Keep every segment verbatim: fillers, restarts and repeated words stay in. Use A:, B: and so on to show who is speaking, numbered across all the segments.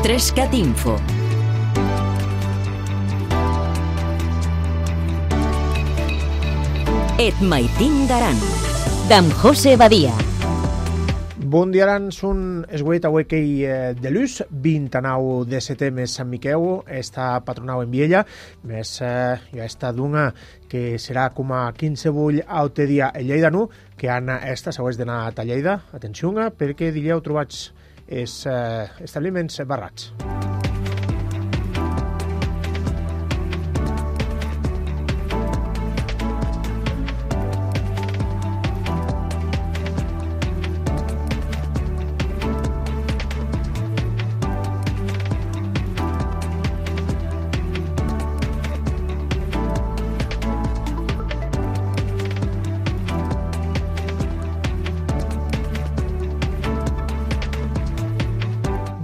A: Trescat Info. Et maitin daran, d'am José Badia.
B: Bon dia, aran, són esguet avui que de l'ús, vint-i-nou de setembre Sant Miquel, està patronau en Viella, més eh, ja està d'una que serà com a quinze bull aute dia a Lleida nu, que han esta següents d'anar a Lleida, atenció, perquè diríeu trobats els eh, establiments barrats.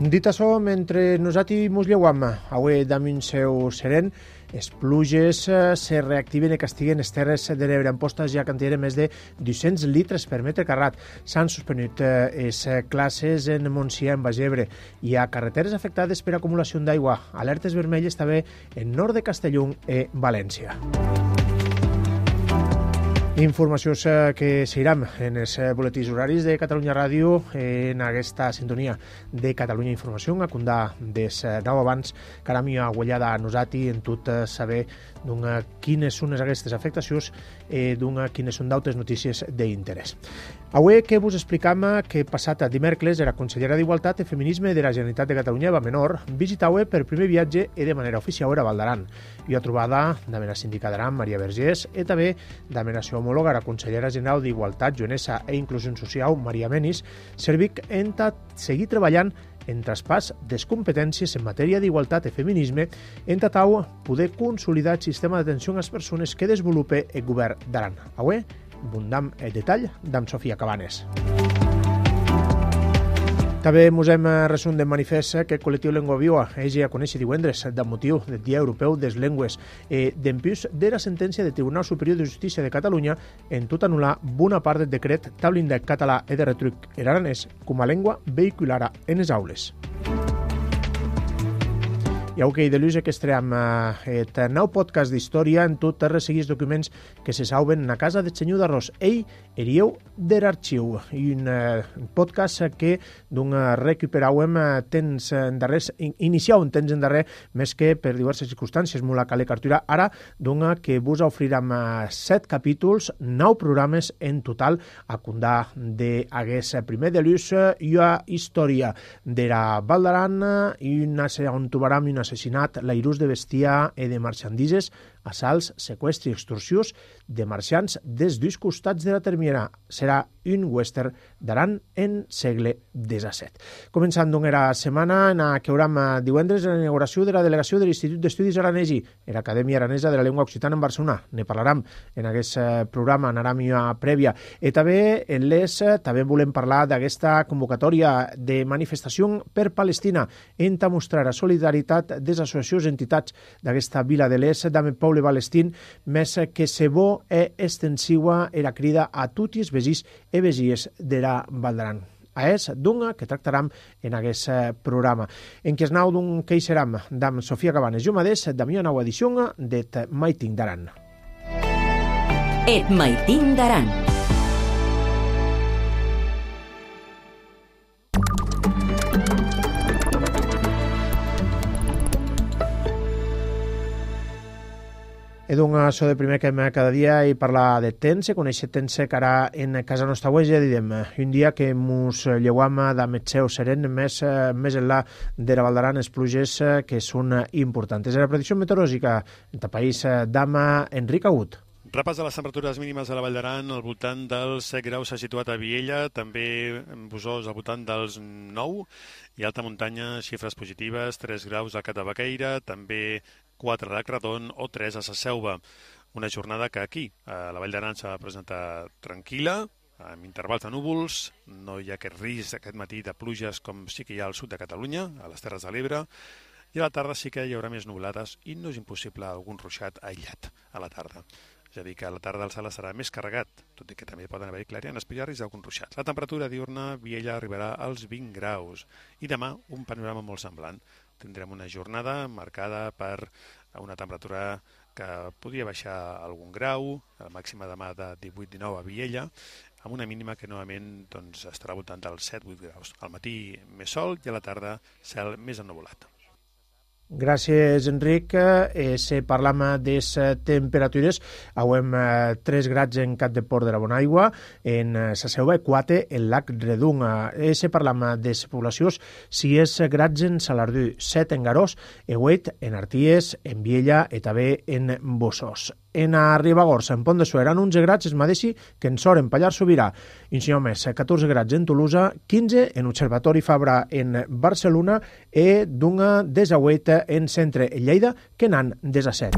B: Dit això, mentre nosaltres mos lleuam avui damunt seu seren, les pluges se reactiven i castiguen les terres de l'Ebre. En postes ja cantieren més de dos-cents litres per metre carrat. S'han suspenut les classes en Montsià, en Baix Ebre. Hi ha carreteres afectades per acumulació d'aigua. Alertes vermelles també en nord de Castelló i València. Informacions que seguiran en els boletins horaris de Catalunya Ràdio en aquesta sintonia de Catalunya Informació, a condar des nou abans que ara m'hi ha guanyada a nosaltres en tot saber quines són aquestes afectacions i quines són d'altres notícies d'interès. Avui que vos explicam que passat dimecres la consellera d'Igualtat i Feminisme de la Generalitat de Catalunya, Eva Menor, visitava per primer viatge i de manera oficial a Val d'Aran. Hi ha trobada de la síndica d'Aran, Maria Vergés, i també de la seva homòloga, la consellera general d'Igualtat, Joanesa i Inclusió Social, Maria Menis, servic en seguir treballant en traspàs des competències en matèria d'igualtat i feminisme, en tatau poder consolidar el sistema d'atenció a les persones que desenvolupa el govern d'Aran. Avui, abundam el detall d'en Sofia Cabanes. També mos hem resum de manifest que el col·lectiu Lengua Viva és a conèixer divendres del motiu del Dia Europeu des Llengües i d'empús de la sentència del Tribunal Superior de Justícia de Catalunya en tot anul·lar bona part del decret tablint del català i de retruc en aranès com a llengua vehicular en les aules. I avui de l'ús que estream el nou podcast d'història en tot els seguits documents que se sauven a casa del senyor d'Arròs. Ell erieu de l'arxiu, i un podcast que d'un recuperauem temps endarrers, iniciau un temps endarrer, més que per diverses circumstàncies, molt a cale cartura. Ara, d'un que vos ofrirem set capítols, nou programes en total, a condar d'aguest primer de l'ús i a història de la Val d'Aran, i on trobarem un assassinat, l'airús de bestiar i de marxandises, assalts, seqüestri i extorsions de marxants des dos costats de la termiera. Serà un western d'Aran en segle disset. Començant doncs la setmana en què hauram divendres la inauguració de la delegació de l'Institut d'Estudis Aranesi, l'Acadèmia Aranesa de la Llengua Occitana en Barcelona. Ne parlarem en aquest programa, anarem a prèvia. I també en l'Es, també volem parlar d'aquesta convocatòria de manifestació per Palestina, en mostrar la solidaritat de les associacions i entitats d'aquesta vila de l'Es, d'Ame Poble Palestín, més que se bo e extensiva i la crida a tots els vegins i vegies de la Val d'Aran. A és d'una que tractarem en aquest programa. En què es nau d'un que hi serem d'am Sofia Cabanes. Jo mateix, de mi nova edició d'Et maitin daran.
A: Et maitin daran.
B: He donat això de primer que cada dia i parlar de temps, conèixer temps que ara en casa nostra avui ja direm un dia que mos lleuam de metgeu seren més, més enllà de la Val d'Aran, les pluges que són importants. La predicció meteorològica del país d'Ama Enric Agut.
C: Repàs de les temperatures mínimes a la Vall d'Aran, al voltant dels set graus s'ha situat a Viella, també en Busòs al voltant dels nou, i alta muntanya, xifres positives, tres graus a Catabaqueira, també quatre a Cradon o tres a Sasselva. Una jornada que aquí, a la Vall d'Aran, s'ha presentat tranquil·la, amb intervals de núvols, no hi ha aquest risc aquest matí de pluges com sí que hi ha al sud de Catalunya, a les Terres de l'Ebre, i a la tarda sí que hi haurà més nuvolades i no és impossible algun ruixat aïllat a la tarda. és a dir, que a la tarda el cel serà més carregat, tot i que també poden haver-hi clarianes, però hi ha risc d'alguns ruixats. La temperatura diurna a Viella arribarà als vint graus i demà un panorama molt semblant. Tindrem una jornada marcada per una temperatura que podria baixar algun grau, la màxima demà de divuit dinou a Viella, amb una mínima que novament doncs, estarà al voltant dels set vuit graus. Al matí més sol i a la tarda cel més ennuvolat.
B: Gràcies, Enric. Eh, se parlam de les temperatures. Auem eh, tres grads en Cap de Port de la Bonaigua, en eh, sa Selva, quatre en Lac Redung. Eh, se parlam de les poblacions, sis grads en Salardú, set en Garós, e vuit en Arties, en Viella i també en Bossós. En a Ribagorça, en Pont de Suert, en onze grads es mateixi que en Sor, en Pallars Sobirà. Insinyó més, catorze grads en Tolosa, quinze en Observatori Fabra en Barcelona i d'una desauet en Centre en Lleida, que n'han desasset.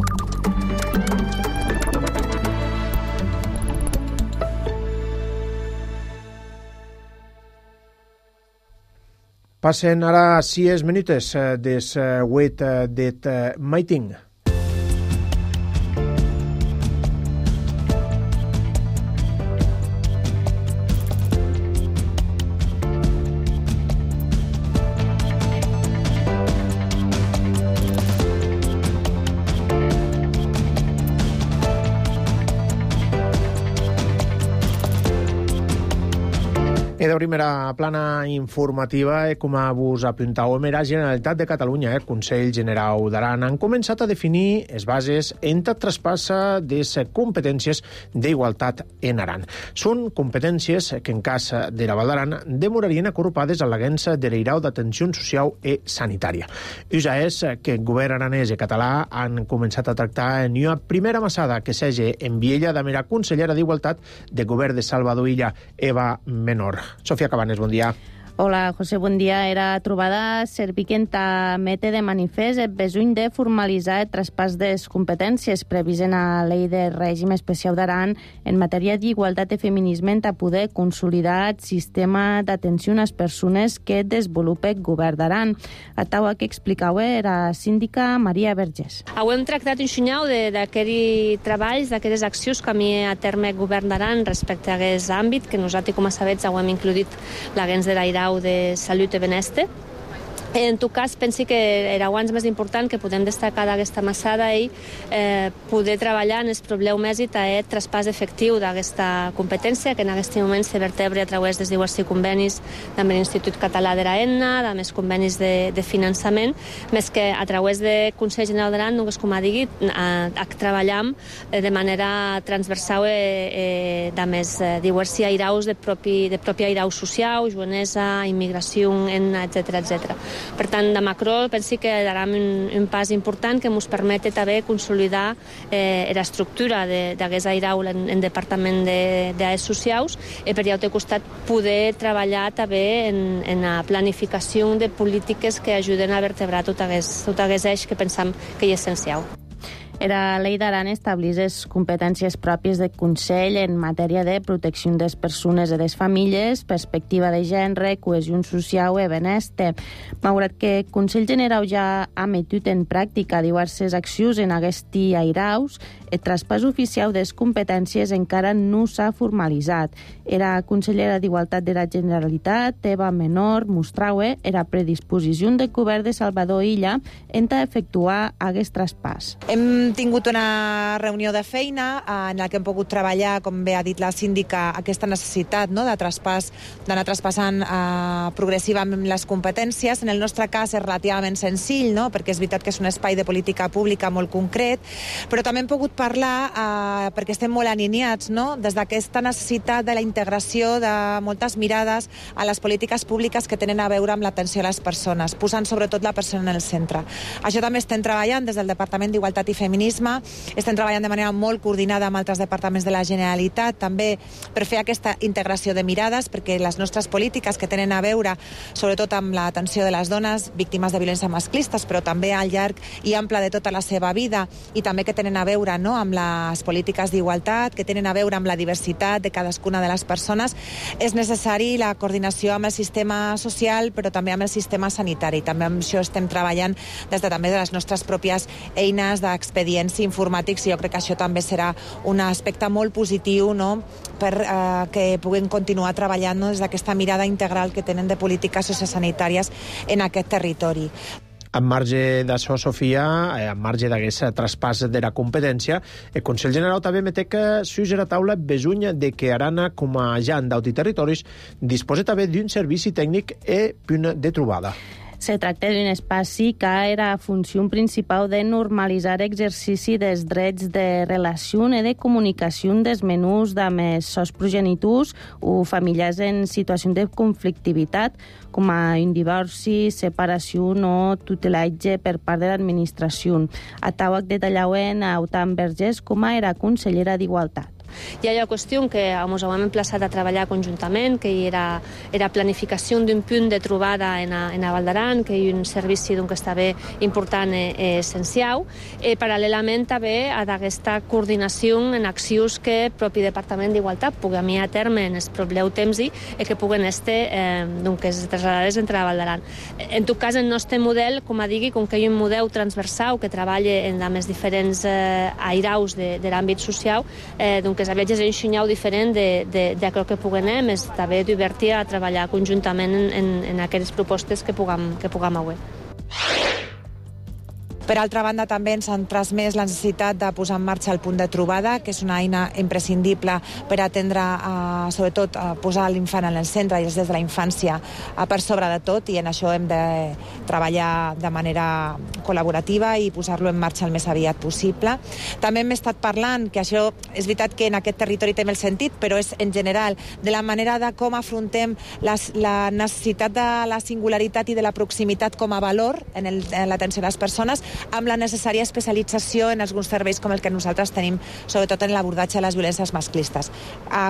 B: Passen ara sis minutes des vuit det maiting. I de primera plana informativa, eh, com vos apuntàvem, era Generalitat de Catalunya, eh, Consell Generau d'Aran, han començat a definir les bases en el traspassa de les competències d'igualtat en Aran. Són competències que, en cas de la Val d'Aran, demorarien acorrupades a l'Agència de l'Eirau d'Atenció Social i Sanitària. Usa és que el govern aranès i català han començat a tractar en una primera massada que s'hagi en Viella de la consellera d'Igualtat del govern de Salvador Illa, Eva Menor. Sofia Cabanes, bon dia.
D: Hola, José, bon dia. Era trobada serviquenta mete de manifest el besuny de formalitzar el traspàs de les competències previst en la Llei de Règim Especial d'Aran en matèria d'igualtat i feminisme a poder consolidar el sistema d'atenció a les persones que desenvolupa el govern d'Aran. A taula que explicava era síndica Maria Vergés.
E: Hem tractat un xunyau d'aquests treballs, d'aquestes accions que a mi a terme el govern d'Aran respecte a aquest àmbit, que nosaltres, com a sabets, hem includit l'Agència de l'Airau de Salut i Benestar. En tot cas, penso que era abans més important que podem destacar d'aquesta massada i eh, poder treballar en els problemes i el traspàs efectiu d'aquesta competència que en aquest moment se vertebra a través dels diversos convenis amb l'Institut Català de l'Aena, amb els convenis de, de finançament, més que a través del Consell General d'Aran, només com ha dit, a, a treballar de manera transversal eh, amb els diversos airaus de propi, de propi airau social, joanesa, immigració, etcètera, etcètera. Per tant, de macro, penso que darà un, un pas important que ens permet també consolidar eh, l'estructura d'aquest airau en, en Departament de, de Socials i per l'altre costat poder treballar també en, en la planificació de polítiques que ajuden a vertebrar tot aquest, tot aquest eix que pensam que és essencial.
D: La Llei d'Aran estableix les competències pròpies del Consell en matèria de protecció de les persones i de les famílies, perspectiva de gènere, cohesió social i benestar. Malgrat que el Consell Generau ja ha metut en pràctica diverses accions en aquests airaus, el traspàs oficial de les competències encara no s'ha formalitzat. La consellera d'Igualtat de la Generalitat, Eva Menor, mostrava la predisposició del govern de Salvador Illa en efectuar aquest traspàs.
F: Hem tingut una reunió de feina en la que hem pogut treballar, com bé ha dit la síndica, aquesta necessitat, no?, de traspàs, d'anar traspassant eh, progressivament les competències. En el nostre cas és relativament senzill, no?, perquè és veritat que és un espai de política pública molt concret, però també hem pogut parlar, eh, perquè estem molt alineats, no?, des d'aquesta necessitat de la integració de moltes mirades a les polítiques públiques que tenen a veure amb l'atenció a les persones, posant sobretot la persona en el centre. Això també estem treballant des del Departament d'Igualtat i Feminisme, estem treballant de manera molt coordinada amb altres departaments de la Generalitat, també per fer aquesta integració de mirades, perquè les nostres polítiques que tenen a veure sobretot amb l'atenció de les dones víctimes de violència masclistes, però també al llarg i ample de tota la seva vida, i també que tenen a veure, no?, amb les polítiques d'igualtat, que tenen a veure amb la diversitat de cadascuna de les persones, és necessari la coordinació amb el sistema social, però també amb el sistema sanitari. També amb això estem treballant des de també de les nostres pròpies eines d'experiència expedients informàtics, i jo crec que això també serà un aspecte molt positiu, no?, per eh, que puguin continuar treballant, no?, des d'aquesta mirada integral que tenen de polítiques sociosanitàries en aquest territori.
B: En marge d'això, Sofia, en marge d'aquest traspàs de la competència, el Consell Generau també metec que suix a la taula besuny de que Arana, com a agent d'autoterritoris, disposa també d'un servici tècnic i punt de trobada.
D: Se tracta d'un espai que era funció principal de normalitzar l'exercici dels drets de relació i de comunicació dels menús amb sos progenitors o familiars en situació de conflictivitat, com a un divorci, separació o tutelatge per part de l'administració. A Tauac detallaven a Autant Vergés com a era consellera d'Igualtat.
E: Hi ha la qüestió que ens hem emplaçat a treballar conjuntament, que hi era, era planificació d'un punt de trobada en a, en a Val d'Aran, que hi ha un servici que està bé important i eh, essencial. Eh, paral·lelament també a aquesta coordinació en accions que el propi Departament d'Igualtat pugui a mi a terme en el proper temps i que puguen estar eh, doncs, traslladades entre Val d'Aran. En tot cas, el nostre model, com a digui, com que hi ha un model transversal que treballa en els diferents eh, airaus de, de l'àmbit social, eh, doncs que és un xinyau diferent de, de, de allò que puguem anar, més també divertir a treballar conjuntament en, en, en aquestes propostes que puguem, que puguem avui.
F: Per altra banda, també ens han transmès la necessitat de posar en marxa el punt de trobada, que és una eina imprescindible per atendre, eh, sobretot, a posar l'infant en el centre i els des de la infància eh, per sobre de tot, i en això hem de treballar de manera col·laborativa i posar-lo en marxa el més aviat possible. També hem estat parlant, que això és veritat que en aquest territori té el sentit, però és en general, de la manera de com afrontem les, la necessitat de la singularitat i de la proximitat com a valor en, el, en l'atenció a les persones, amb la necessària especialització en alguns serveis com el que nosaltres tenim, sobretot en l'abordatge de les violències masclistes.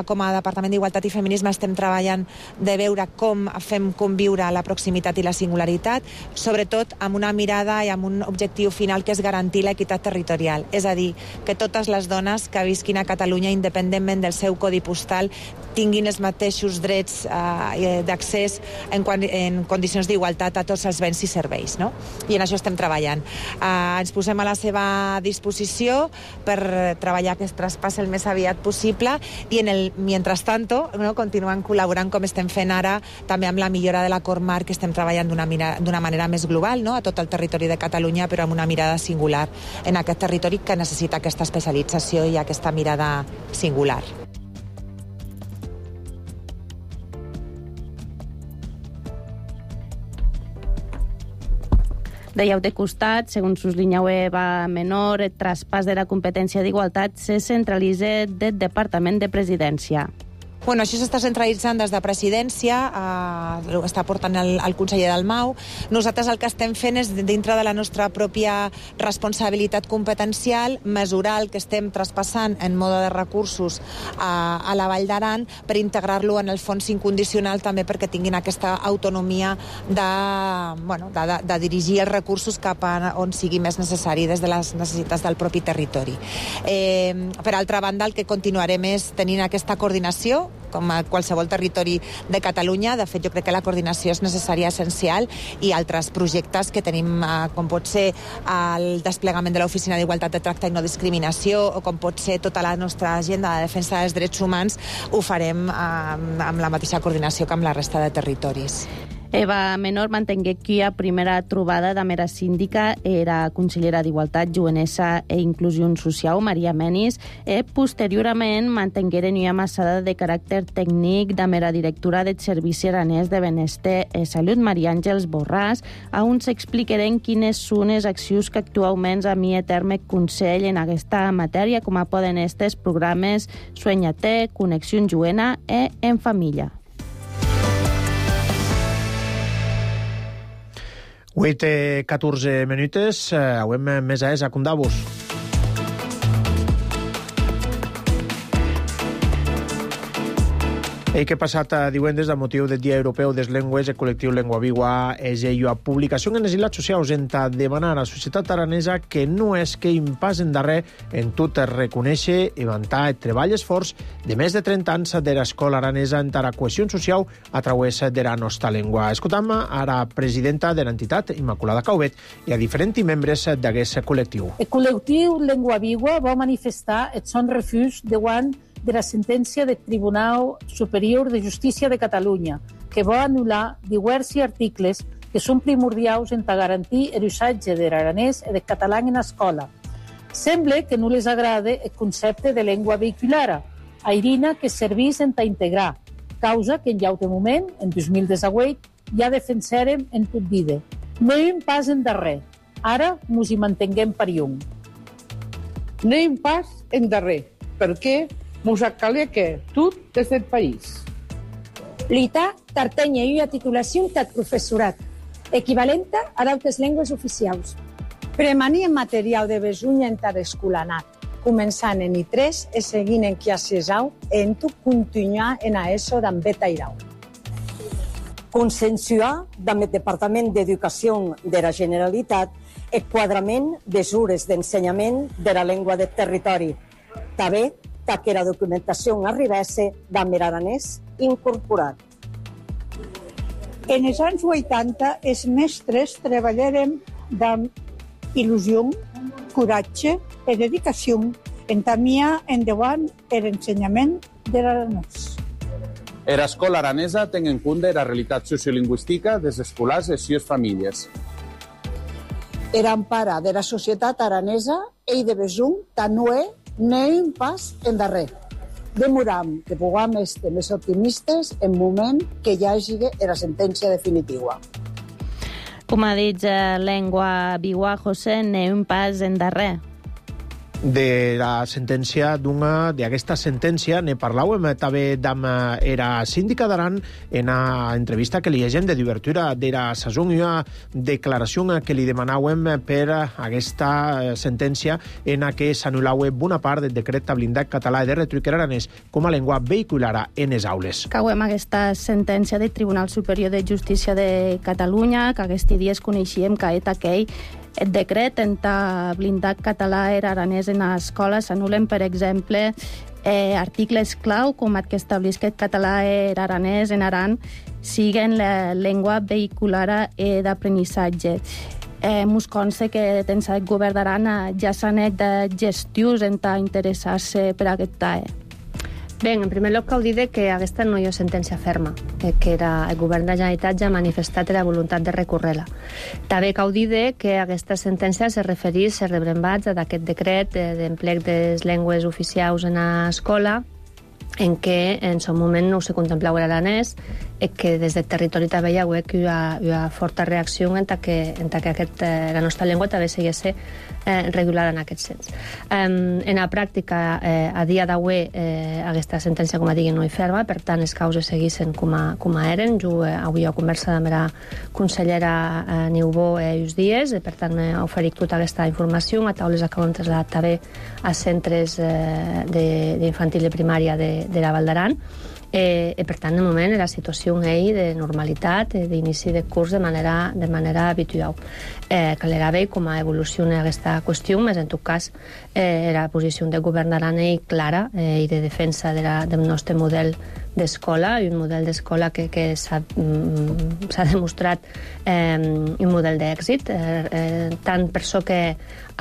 F: Com a Departament d'Igualtat i Feminisme estem treballant de veure com fem conviure la proximitat i la singularitat, sobretot amb una mirada i amb un objectiu final que és garantir l'equitat territorial. És a dir, que totes les dones que visquin a Catalunya, independentment del seu codi postal, tinguin els mateixos drets eh, d'accés en, en condicions d'igualtat a tots els béns i serveis, no? I en això estem treballant. Eh, ens posem a la seva disposició per treballar aquest traspàs el més aviat possible i en el mientras tanto, no, continuant col·laborant com estem fent ara també amb la millora de l'acord marc, que estem treballant d'una d'una manera més global, no, a tot el territori de Catalunya, però amb una mirada singular en aquest territori que necessita aquesta especialització i aquesta mirada singular.
D: Dèieu de costat, segons sublinheu Eva Menor, el traspàs de la competència d'igualtat se centralitza del Departament de Presidència.
F: Bueno, això s'està centralitzant des de Presidència, eh, està portant el, el conseller Dalmau. Nosaltres el que estem fent és, dintre de la nostra pròpia responsabilitat competencial, mesurar el que estem traspassant en mode de recursos a, a la Vall d'Aran per integrar-lo en el fons incondicional, també perquè tinguin aquesta autonomia de, bueno, de, de, de dirigir els recursos cap a on sigui més necessari des de les necessitats del propi territori. Eh, per altra banda, el que continuarem és tenint aquesta coordinació com a qualsevol territori de Catalunya. De fet, jo crec que la coordinació és necessària, essencial, i altres projectes que tenim, eh, com pot ser el desplegament de l'Oficina d'Igualtat de Tracte i No Discriminació, o com pot ser tota la nostra agenda de defensa dels drets humans, ho farem eh, amb la mateixa coordinació que amb la resta de territoris.
D: Eva Menor mantengué que a primera trobada de mera síndica era consellera d'Igualtat, Jovenesa e Inclusió Social, Maria Menis, e posteriorment mantengueren una massada de caràcter tècnic de mera directora del Servici Aranès de Benestar i Salut, Maria Àngels Borràs, on s'explicarem quines són les accions que actualment a mi a terme Consell en aquesta matèria, com a poden estes programes Sueñate, Connexió Joena e En Família.
B: vuit i catorze minutes, avem més a és a Condavos. Ei que passat divendres, a motiu del Dia Europeu des Lengües, el col·lectiu Lengua Viva és ella publicació en les ilats socials en ta demanar a la societat aranesa que no és que pas en darrer en tot reconèixer i vantar el treball esforç de més de trenta anys de l'escola aranesa en la cohesió social a través de la nostra llengua. Escoltam a la presidenta de l'entitat, Immaculada Caubet, i a diferents membres d'aquest col·lectiu.
G: El col·lectiu Lengua Viva va manifestar el son refús davant de la sentència del Tribunal Superior de Justícia de Catalunya, que va anul·lar diversos articles que són primordials en garantir l'usatge de l'aranès i del català en l'escola. Sembla que no les agrada el concepte de llengua vehicular, airina que serveix en ta integrar, causa que en llaute moment, en dos mil disset, ja defensarem en tot vida. No hi ha pas en darrer, ara mos hi mantenguem per llum.
H: No hi ha pas en darrer, perquè mos calia que tot des del país.
I: L'I T A tartenya una titulació de professorat, equivalenta a d'altres llengües oficials.
J: Premania material de besunya en tar escolanat, començant en I tres i seguint en Quiasesau, en tu continuar en a ESO d'en Betairau.
K: Consensuar amb el Departament d'Educació de la Generalitat el quadrament de mesures d'ensenyament de la llengua del territori. També que la documentació arribesse amb l'aranès incorporat.
L: En els anys vuitanta, els mestres treballarem amb il·lusió, coratge i dedicació en tamia endavant l'ensenyament de l'aranès.
M: L'escola aranesa té en compte la realitat sociolingüística dels escolars i les famílies.
J: L'empara de la societat aranesa i de besum tant no és no hi ha pas en darrer. Demoram que puguem estar més optimistes en moment que ja hagi la sentència definitiva.
D: Com ha dit Lengua Viva, José, no hi ha pas en darrer.
B: De la sentència d'una d'aquesta sentència ne parlàvem també amb era síndica d'Aran en una entrevista que li llegem de d'obertura de la saison, una declaració que li demanàvem per aquesta sentència en què s'anul·lava bona part del decret blindat català de retribuir aranès com a llengua vehicular en les aules.
D: Cauem aquesta sentència del Tribunal Superior de Justícia de Catalunya, que aquests dies coneixíem que és aquell el decret en ta blindat català i aranès en l'escola s'anulen, per exemple, eh, articles clau com el que estableix que el català i aranès en Aran siguen la llengua vehicular i d'aprenissatge. Eh, mos consta que dins el govern d'Aran ja s'han fet de gestions en ta interessar-se per aquest tae.
E: Bé, en primer lloc cal dir que aquesta no hi ha sentència ferma, que era, el govern de la Generalitat ja ha manifestat la voluntat de recórrer-la. També cal dir que aquesta sentència se refereix als rebrembats d'aquest decret d'emplec de les llengües oficials en l'escola, en què en son moment no se contemplava l'aranès i que des del territori també hi ha hagut una, una forta reacció en que, en que aquest, la nostra llengua també seguís eh, regulada en aquest sens. Eh, en la pràctica, eh, a dia d'avui, eh, aquesta sentència, com a digui, no hi ferma, per tant, les causes seguissin com a, com a eren. Jo eh, avui he conversat amb la consellera eh, Niubó eh, uns dies, eh, per tant, m'he oferit tota aquesta informació, a taules que ho hem traslladat també a centres eh, d'infantil i primària de, de la Val d'Aran. Eh, i per tant, de moment, la situació és de normalitat, eh, d'inici de curs de manera, de manera habitual. Eh, calera bé com a evoluciona aquesta qüestió, més en tot cas, eh, la posició del govern d'Aran és clara eh, i de defensa de la, del nostre model d'escola, i un model d'escola que, que s'ha mm, demostrat eh, un model d'èxit, eh, eh, tant per això que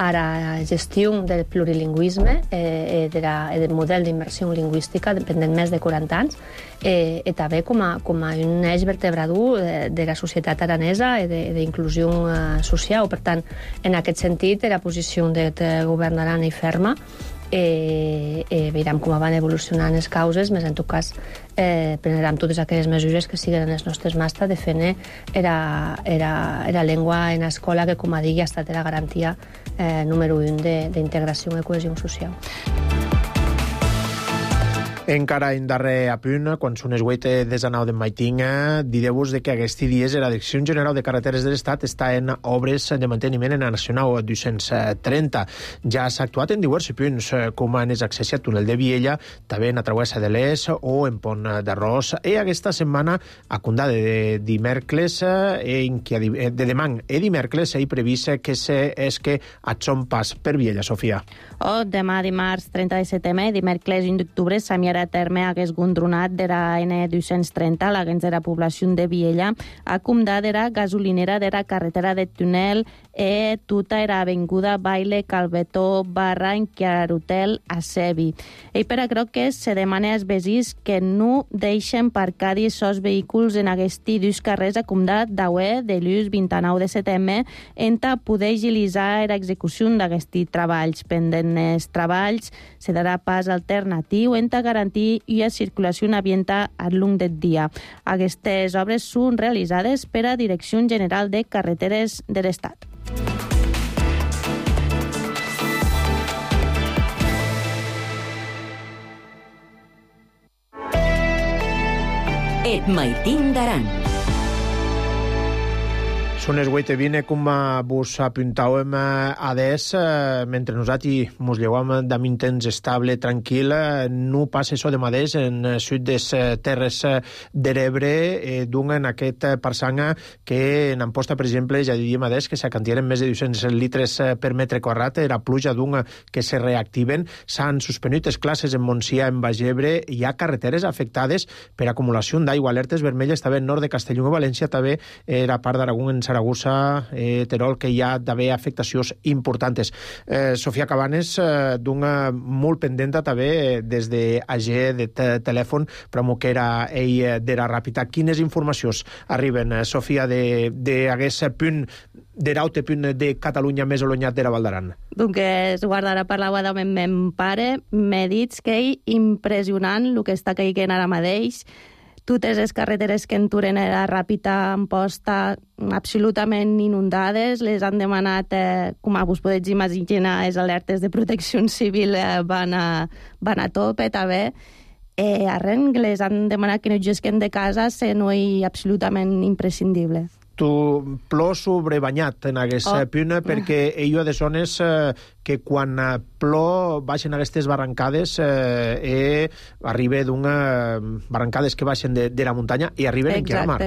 E: ara gestió del plurilingüisme eh, de la, del model d'immersió lingüística dependent més de quaranta anys, eh, i també com a, com a un eix vertebrador de, de la societat aranesa i d'inclusió eh, social. Per tant, en aquest sentit, la posició del govern d'Aran és ferma. Eh, eh, veurem com van evolucionant les causes, més en tot cas eh, prendrem totes aquelles mesures que siguen en les nostres mans de fer era, era, era llengua en escola que, com a digui, ha estat la garantia eh, número un d'integració i cohesió social.
B: Encara en darrer apunt, quan són les vuit de la nau de Maiting, direu-vos que aquests dies la Direcció General de Carreteres de l'Estat està en obres de manteniment en la Nacional dos-cents trenta. Ja s'ha actuat en diversos punts, com en l'accés al túnel de Viella, també en la travessa de l'Es o en Pont d'Arròs. I aquesta setmana, a condà de dimèrcles, en que de demà i dimèrcles, hi previst que és que et són pas per Viella, Sofia.
D: O demà dimarts trenta de setembre, dimèrcles un d'octubre, s'amiarà a terme hagués gondronat de la N dos-cents trenta, l'agents de la població de Viella, a comdat de la gasolinera de la carretera de túnel e tota era avinguda Baile Calvetó barra Enquiarutel a Sevi. I per a croques se demana als veïns que no deixen parcar aquests vehicles en aquests dos carrers a comdat d'Aué de l'ús vint-i-nou de setembre enta poder agilitzar l'execució d'aquests treballs. Pendent els treballs se darà pas alternatiu enta garantir garantir la circulació ambiental al long del dia. Aquestes obres són realitzades per a Direcció General de Carreteres de l'Estat.
A: Et Maiting d'Aran.
B: Són les vuit i vint, com vos apuntàvem a des, mentre nosaltres ens llevàvem d'un temps estable, tranquil, no passa això de mateix en sud des terres de l'Ebre, d'un en aquest parsanga que en Amposta, per exemple, ja diríem a des que s'acantieren més de dos-cents litres per metre quadrat, era pluja d'un que se reactiven, s'han suspendut les classes en Montsià, en Bagebre, hi ha carreteres afectades per acumulació d'aigua, alertes vermelles també en nord de Castelló i València, també era part d'Aragó en Saragossa, eh, Terol, que hi ha d'haver afectacions importants. Eh, Sofia Cabanes, eh, d'una molt pendenta també eh, des de A G de telèfon, però amb que era ell de la Ràpita. Quines informacions arriben, eh, Sofia, d'aquest punt, de l'aute punt de Catalunya més allunyat de la Val d'Aran?
D: Donc, es guardarà per l'aigua de mon pare. M'he dit que és impressionant el que està caient ara mateix. Totes les carreteres que enturen a la Ràpita en posta absolutament inundades, les han demanat, eh, com vos podeu imaginar, les alertes de protecció civil eh, van, a, van a tope també. Eh, arren, les han demanat que no gesquen de casa, se no és absolutament imprescindible.
B: Tu plors sobrebanyat en aquest oh. punt, perquè ell de zones eh, que quan plou baixen aquestes barrancades eh, eh, arriba d'una barrancades que baixen de, de la muntanya i arriben en la mar.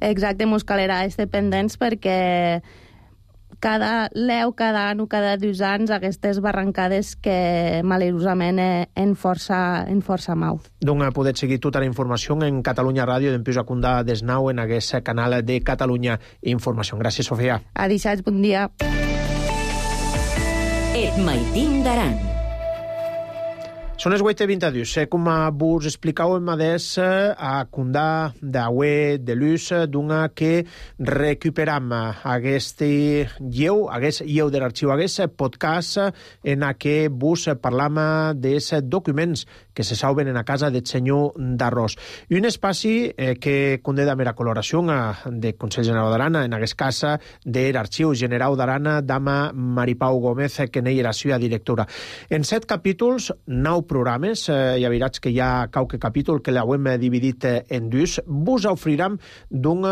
D: Exacte, mos calerà estar pendents perquè cada l'eu, cada any o cada dos anys aquestes barrancades que malerosament en força, en força mau.
B: Donc podeu seguir tota la informació en Catalunya Ràdio d'Empius a Condà d'Esnau en aquest canal de Catalunya Informació. Gràcies, Sofia.
D: Adéu, bon dia.
A: Et Maiting d'Aran.
B: Són les vuit i vint-i-dos. Com vos explicàvem adés a Condà d'Aué de l'Ús, d'una que recuperam aquest lleu, aquest lleu de l'arxiu, aquest podcast en què vos parlam dels documents que se salven en la casa del senyor d'Arròs. Un espai que condé de mera coloració de Consell General d'Aran, en aquest cas de l'Arxiu General d'Aran, dama Maripau Gómez, que n'hi era la seva directora. En set capítols, nou programes, eh, ja veuràs que hi ha qualque capítol que l'hem dividit en dos, vos ofriram d'un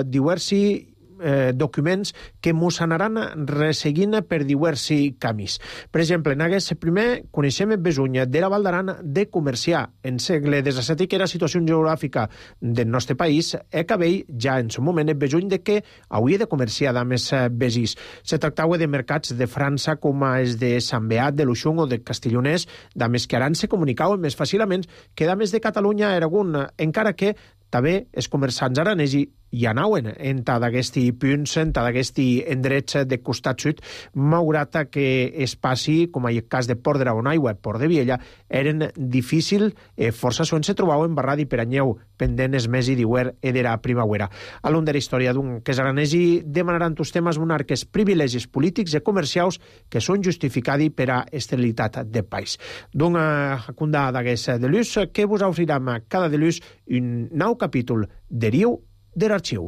B: diversi eh, documents que mos anaran resseguint per diversi camins. Per exemple, en aquest primer coneixem el besuny de la Val d'Aran de comerciar en segle disset, que era la situació geogràfica del nostre país, e que veia ja en seu moment el besuny de que hauria de comerciar amb els veïns. Se tractava de mercats de França com els de Sant Beat, de Luxung o de Castellonès, d'ames que aran se comunicaven més fàcilment que d'ames de Catalunya a Aragó, encara que també els comerçants aranesi hi anaven en d'aquests punts, en d'aquests endrets de costat sud, malgrat que es passi, com en el cas de Port de Rabonaigua, Port de Viella, eren difícil, eh, força on se trobaven barrat i peranyeu, pendent es mesi d'hiver i de la primavera. A l'un de la història d'un que és aranesi demanaran tus temes monarques privilegis polítics i comercials que són justificats per a esterilitat de país. D'una condà d'aquest de l'ús que vos ofriram cada de l'ús un nou capítol deriu de l'arxiu.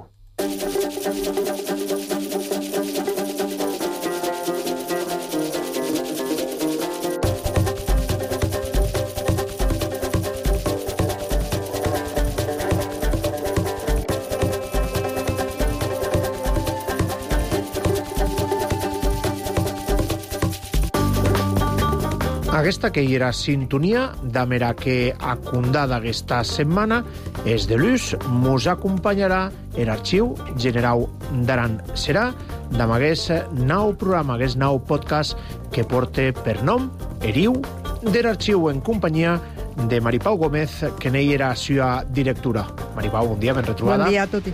B: aquesta que hi era sintonia d'amera que acundada aquesta setmana és de l'ús, mos acompanyarà l'Arxiu Generau d'Aran. Serà d'amagués nou programa, hagués nou podcast que porte per nom Eriu de l'Arxiu, en companyia de Maripau Gómez, que n'hi era seva directora. Maripau, bon dia, ben retrobada.
N: Bon dia a tutti.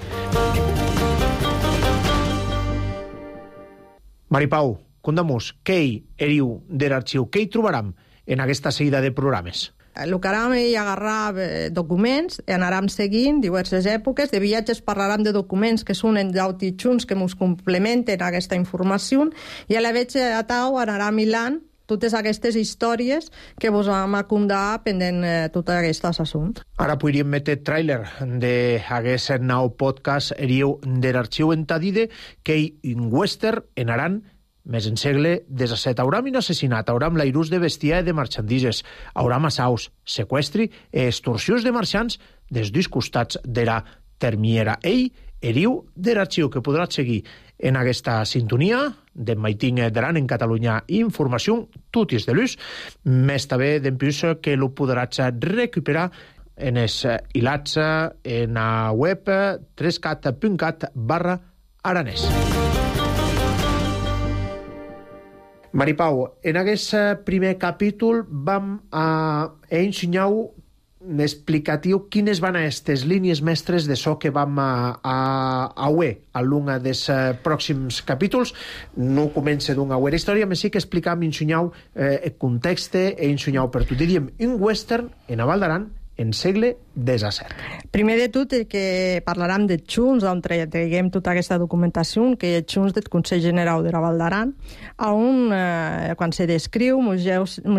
B: Maripau, condamós, què hi eriu de l'Arxiu? Què hi trobaram en aquesta seguida de programes?
N: El que anem és agarrar documents i anarem seguint diverses èpoques. De viatges parlarem de documents que són en d'auti junts que ens complementen aquesta informació i a la vez a tau anarà milant totes aquestes històries que vos vam acundar pendent eh, tot aquest assumpte.
B: Ara podríem metre tràiler d'aquest nou podcast Eriu de l'Arxiu en Tadide, que hi un western en Aran, més en segle disset. Hauram un assassinat, hauram l'airús de bestiar i de marxandises, hauram assaus, seqüestri i extorsions de marxants des dos costats de la termiera. Ell, Eriu de l'Arxiu, que podràs seguir en aquesta sintonia de Maiting d'Aran en Catalunya Informació, tutis de l'ús, més també d'empús que lo podràs recuperar en els hilats en la web trescat punt cat barra aranès. Maripau, en aquest primer capítol vam a ensenyar explicatiu quines van a aquestes línies mestres de so que vam a, a, a uer a l'un dels pròxims capítols. No comença d'una uera història, però sí que explicam, ensenyau eh, el context i ensenyau per tot. Diríem, un western en Aval d'Aran en segle disset.
N: Primer de tot, que parlarem de Junts, on traguem tota aquesta documentació, que és Junts del Consell Generau de la Val d'Aran, on, eh, quan se descriu, mos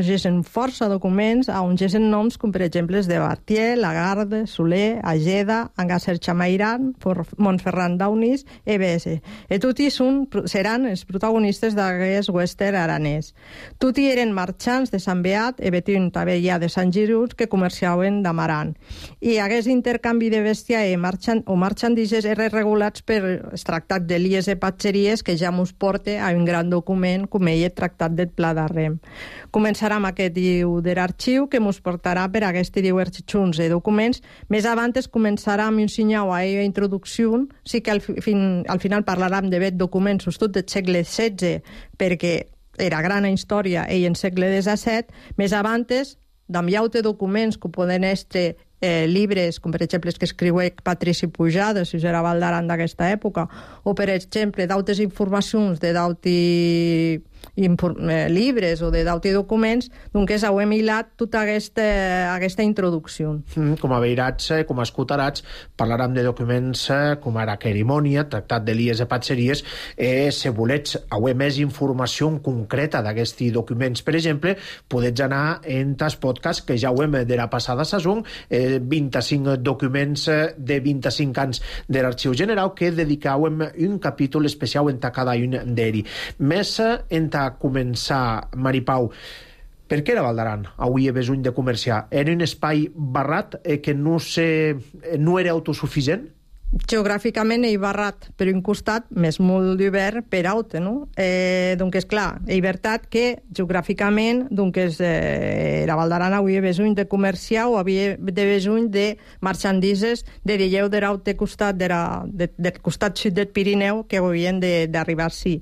N: gesen força documents, on gesen noms com, per exemple, de Bartier, Lagarde, Soler, Ageda, Angasser Chamairan, Montferran d'Aunis, E B S. I tots són, seran els protagonistes d'aquest western aranès. Tots eren marxants de Sant Beat, i Betín també ja de Sant Girus, que comerciaven d'Amaran. I aquest intercanvi de bestiar i marxan, o marxandises eren regulats per el tractat de Lies i Patxeries, que ja mos porta a un gran document com ell el tractat del Pla d'Arrem. Començarem aquest diu de l'arxiu, que mos portarà per aquests diversos junts de documents. Més avant es començarà amb un senyal a la introducció, sí que al, fin, al final parlarem de bet documents tot del segle setze, perquè era gran història ell en segle disset. Més avant d'enviar-te documents que poden estar eh, llibres, com per exemple que escriuec Patrici Pujada, si era Val d'Aran d'aquesta època, o per exemple d'autes informacions de d'auti eh, llibres o de d'auti documents, doncs heu emilat tota aquesta, aquesta introducció.
B: Mm, com a veirats, com a escutarats, parlarem de documents com ara Querimònia, Tractat de Lies i Patxeries, eh, si volets haver més informació concreta d'aquests documents, per exemple, podets anar en tas podcast que ja ho hem de la passada sason, eh, vint-i-cinc documents de vint-i-cinc anys de l'Arxiu General que dedicàvem un capítol especial en cada un d'ells. Més en a començar, Maripau, per què era Val d'Aran avui he besuny de comerciar? Era un espai barrat eh, que no, se, no era autosuficient?
N: Geogràficament ell barrat per un costat, més molt d'hivern per altre, no? Eh, doncs és clar, és veritat que geogràficament doncs eh, la Val d'Aran avui besuny de comerciar o havia de besuny de marxandises de lleu de l'altre costat de la, de, del costat sud del Pirineu que havien d'arribar sí.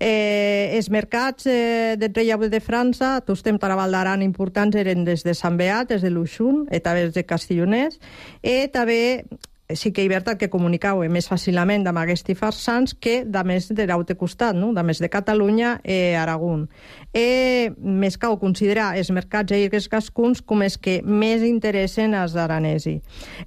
N: Eh, els mercats eh, del relleu de França, tots temps a la Val d'Aran importants eren des de Sant Beat, des de Luxun, i també des de Castellonès, i també sí que és veritat que comunicau més fàcilment amb aquests farsans que de més de l'altre costat, no? De més de Catalunya i Aragó. I més cal considerar els mercats i els cascuns com els que més interessen als aranesi.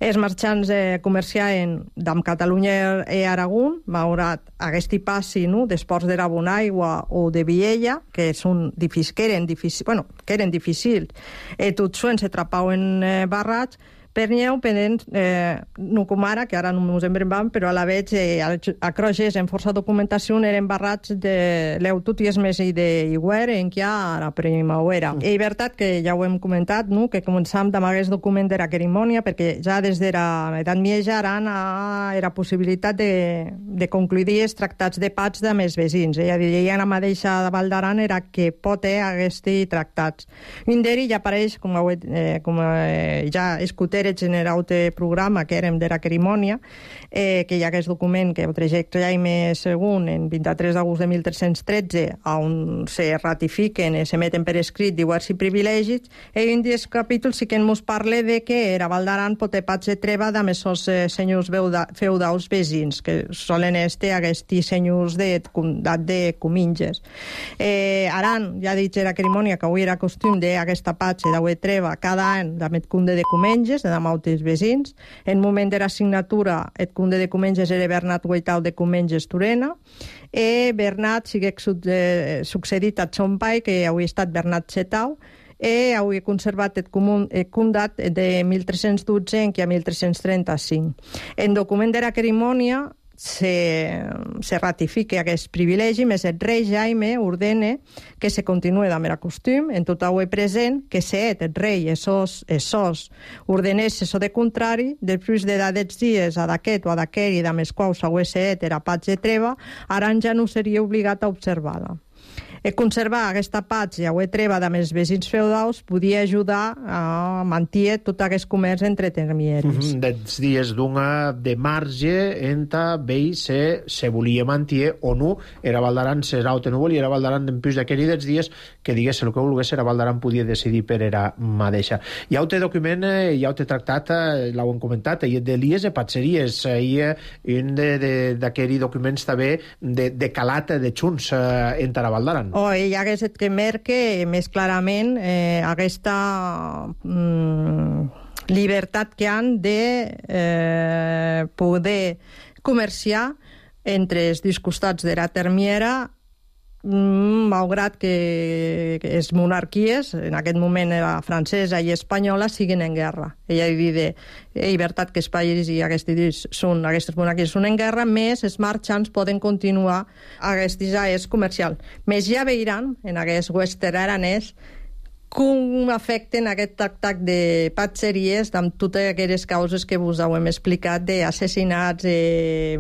N: Els marxants eh, comerciaven amb Catalunya i Aragó, malgrat aquest passi, no? D'esports de la Bonaigua o de Viella, que, són difícils, que eren difícils, bueno, que eren difícils, i tots sols se trapaven eh, barrats, Pernyeu, pendent, eh, no com ara, que ara no ens embrembam, però a la veig, eh, a Croges, en força documentació, eren barrats de l'eututies més i d'iguer, en què a la primavera. Mm. I veritat que ja ho hem comentat, no? Que començam amb aquest document de la cerimònia, perquè ja des de l'edat mitja Aran era possibilitat de, de concluir els tractats de pats de més vecins. Ella deia la mateixa de Val d'Aran era que pot eh, aquests tractats. Un d'ells ja apareix, com, eh, com eh, ja escuter el general de programa que érem de la cerimònia, eh, que hi ha aquest document que el trajecte Jaime segon en vint-i-tres d'agost de mil tres-cents tretze, on se ratifiquen i se meten per escrit diversos privilegis, i un dels capítols sí que ens parla de que era Val d'Aran pot pats de treva de més els eh, senyors feudals vecins, que solen estar aquests senyors de comtat de Cominges. Eh, Aran, ja dit la cerimònia que avui era costum d'aquesta patxa de treva cada any de Metcunde de Cominges, de mautes vecins. En moment de la signatura, el conde de Cominges era Bernat Guaitau de Cominges Turena, i Bernat sigue succedit a son pai, que avui ha estat Bernat Setau, i avui he conservat el condat de mil tres-cents dotze en què a mil tres-cents trenta-cinc. En document de la cerimònia se, se ratifica aquest privilegi, més el rei Jaime ordena que se continue amb el costum, en tot avui present, que set el rei esos, esos ordenés això de contrari, després de d'aquests dies a d'aquest o a d'aquell i de més quals avui set era patx de treva, Aran ja no seria obligat a observar-la. E conservar aquesta patxa o treva de més vecins feudals podia ajudar a mantenir tot aquest comerç entre termieris.
B: Mm-hmm. Dels dies d'una de marge entre veïs se, se volia mantenir o no, era Val d'Aran serà o no volia, era Val d'Aran d'empús d'aquell dels dies que digués el que volgués, era Val d'Aran podia decidir per era mateixa. Ja ho té document, ja ho té tractat, l'heu comentat, i de lies de patxeries, i un d'aquells documents també de, de calat de Junts entre Val d'Aran.
N: O hi hagués que merque més clarament eh, aquesta mm, llibertat que han de eh, poder comerciar entre els dos costats de la termiera, mm, malgrat que, que les monarquies, en aquest moment la francesa i espanyola, siguin en guerra. Ella diu és veritat que els països i aquestes, són, aquestes monarquies són en guerra, més els marxants poden continuar aquestes àrees comercials. Més ja veiran, en aquest western aranès, com afecten aquest tractat de patxeries amb totes aquelles causes que vos hem explicat d'assassinats, eh,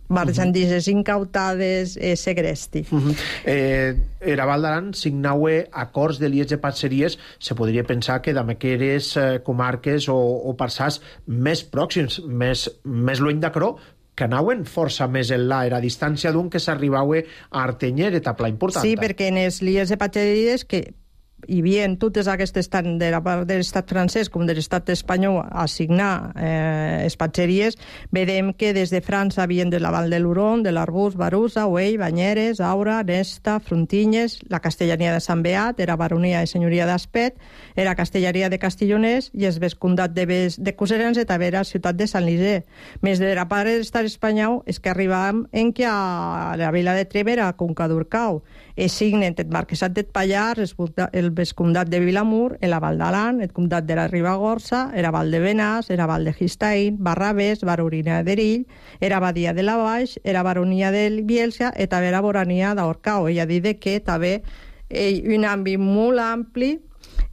N: marxandises uh-huh. incautades, eh, segresti.
B: Uh-huh. Eh, era Val d'Aran signaue acords de lies de patxeries, se podria pensar que d'aquelles eh, comarques o, o parçats més pròxims, més, més lluny d'Acró, que anaven força més enllà, era a distància d'un que s'arribava a Artenyer, etapa important.
N: Sí, perquè en les lies de patxeries que hi havia totes aquestes, tant de la part de l'estat francès com de l'estat espanyol, a signar eh, les patxeries, vedem que des de França havien de la Val de l'Huron, de l'Arbús, Barusa, Güell, Banyeres, Aura, Nesta, Frontinyes, la castellania de Sant Beat, era baronia i senyoria d'Aspet, era castellania de Castilloners i el vescomtat de, Bes, de Coserans i també era ciutat de Sant Lisé. Més de la part de l'estat espanyol és que arribàvem en què a la vila de Treva era Conca d'Urcau, i signen el marquesat de Pallars, el vescomtat de Vilamur, el Val d'Aran, el comtat de la Ribagorça, era Val de Benàs, era Val de Gistaín, Barrabés, baronia d'Erill, era Badia de la Baix, era baronia de Bielsa i també era barania d'Orcau. Ella dit que també eh, un àmbit molt ampli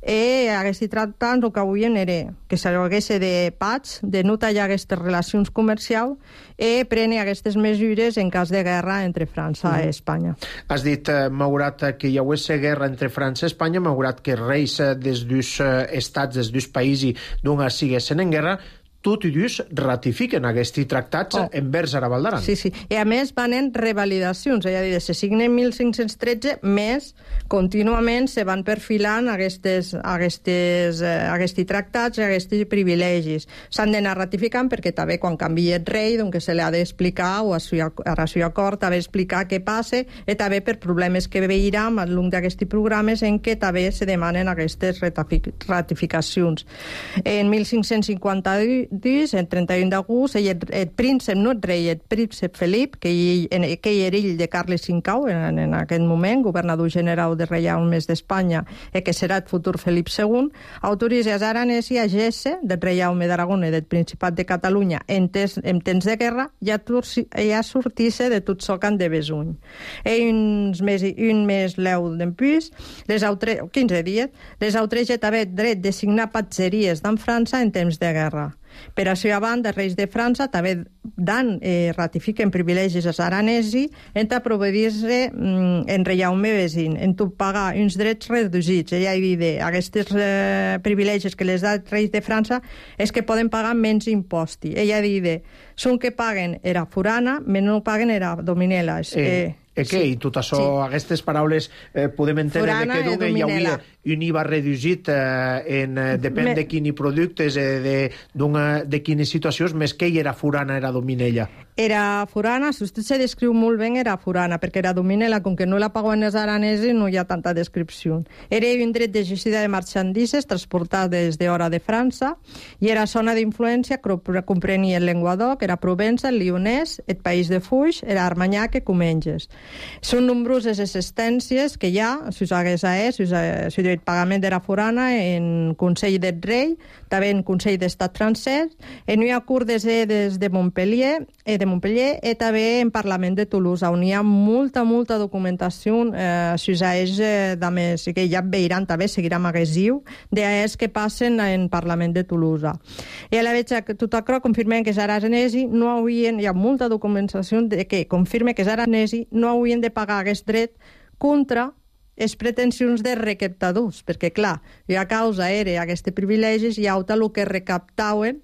N: i aquests tractats el que volien era que s'hagués de pats, de no tallar aquestes relacions comercials i prendre aquestes mesures en cas de guerra entre França mm. i Espanya.
B: Has dit, eh, malgrat que hi hagués guerra entre França i Espanya, malgrat que reis dels dos estats, dels dos països d'una siguessin en guerra, tot i dos ratifiquen aquests tractats oh. envers a Val d'Aran.
N: Sí, sí. I a més van en revalidacions. Ja dir, se signen mil cinc-cents tretze, més contínuament se van perfilant aquestes, aquestes, aquests tractats i aquests privilegis. S'han d'anar ratificant perquè també quan canvia el rei, doncs se li ha d'explicar o a la seva cort també explicar què passa i també per problemes que veiem al llarg d'aquests programes en què també se demanen aquestes ratificacions. En mil cinc-cents cinquanta-dos trenta-dos, el trenta-un d'agost, el, el príncep, no el rei, el príncep Felip, que ell, que ell era ell de Carles cinquè, en, en aquest moment, governador general de Reialme d'Espanya, i que serà el futur Felip segon, autoritza als aranesi a Gesse, del Reialme d'Aragona i del Principat de Catalunya, en, tes, en temps de guerra, ja, ja sortir-se de tot socan de Besuny. I uns mes, un mes l'eu d'empús, les autres, quinze dies, les autres ja també dret de signar patgeries d'en França en temps de guerra. Per això, a banda, els reis de França també dan, eh, ratifiquen privilegis als aranesi en proveir-se mm, en Reialme vesin, en tot pagar uns drets reduïts. Ella ha dit aquests eh, privilegis que les da els reis de França és que poden pagar menys imposti. Ella ha dit, són que paguen era forana, menys no paguen era dominela. És,
B: eh,
N: eh,
B: eh, què?
N: sí.
B: I tot això,
N: sí.
B: aquestes paraules, eh, podem entendre
N: forana
B: que d'un hi hauria un I V A reduït eh, en, eh, depèn Me... de quins productes, eh, de, de quines situacions, més que ell era forana, era dominella.
N: Era forana, si vostè se descriu molt bé, era forana, perquè era dominela, com que no la pagaven els aranesos, no hi ha tanta descripció. Era un dret de gestió de marxandises transportat des d'hora de França, i era zona d'influència que comprenia el Llenguadoc, era Provença, el Lyonès, el País de Fuix, era Armanyac i Comenges. Són nombroses existències que hi ha, si us hagués a és, si us hagués el pagament de la forana en Consell del Rei, també en Consell d'Estat francès, en hi ha curtes des de Montpellier, eh, de Montpellier i també en Parlament de Toulouse, on hi ha molta, molta documentació, eh, si us hagués, eh, més, que ja veiran també, seguirà magasiu, d'es que passen en Parlament de Toulouse. I a la veig que tot això confirmen que els aranesi no haurien, hi ha molta documentació de que confirma que els aranesi no haurien de pagar aquest dret contra les pretensions de recaptadors, perquè, clar, a causa era aquests privilegis i auta el que recaptaven,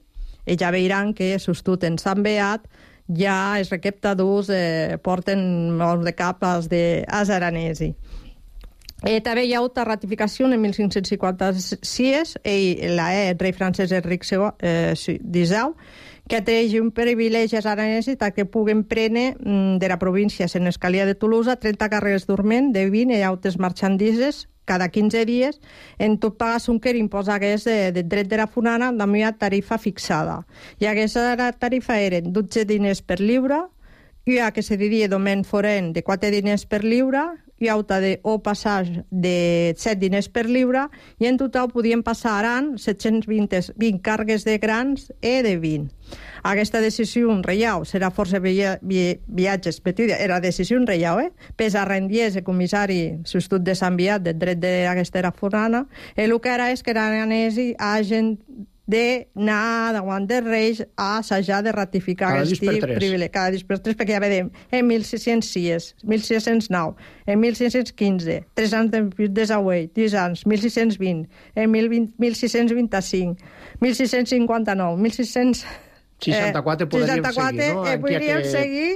N: i ja veiran que, sostut en Sant Beat, ja els recaptadors eh, porten molts de cap als, de, als aranesi. Eh, també hi ha hagut ratificació en mil cinc-cents cinquanta-sis, i la, eh, el rei francès Enric disau, que atreix un privilegi als aranesos que puguen prendre mm, de la província en escalia de Toulouse trenta carreres dorment de vint i altres marxandises cada quinze dies, en tot pagar un que imposa hagués de, de dret de la forana amb una tarifa fixada. I aquesta tarifa eren dotze diners per lliure, i a que se diria domen foren de quatre diners per lliure, i auta de o passatge de set diners per lliure, i en total podien passar aran set-cents vint càrregues de grans i de vint. Aquesta decisió reial serà força via, via, viatges, era decisió reial, eh? Pes a rendies el comissari substitut de Sant Beat del dret d'aquesta era forana, i el que era és que aranesi hagin d'anar davant dels reis a assajar de ratificar aquest privilegi. Cada dis per tres, perquè ja vedem, en mil sis-cents sis, mil sis-cents nou, en mil sis-cents quinze, tres anys de desauell, dix anys, mil sis-cents vint, en mil sis-cents vint-i-cinc, mil sis-cents cinquanta-nou, mil sis-cents
B: seixanta-quatre podríem seguir, no?
N: Eh, podríem que... seguir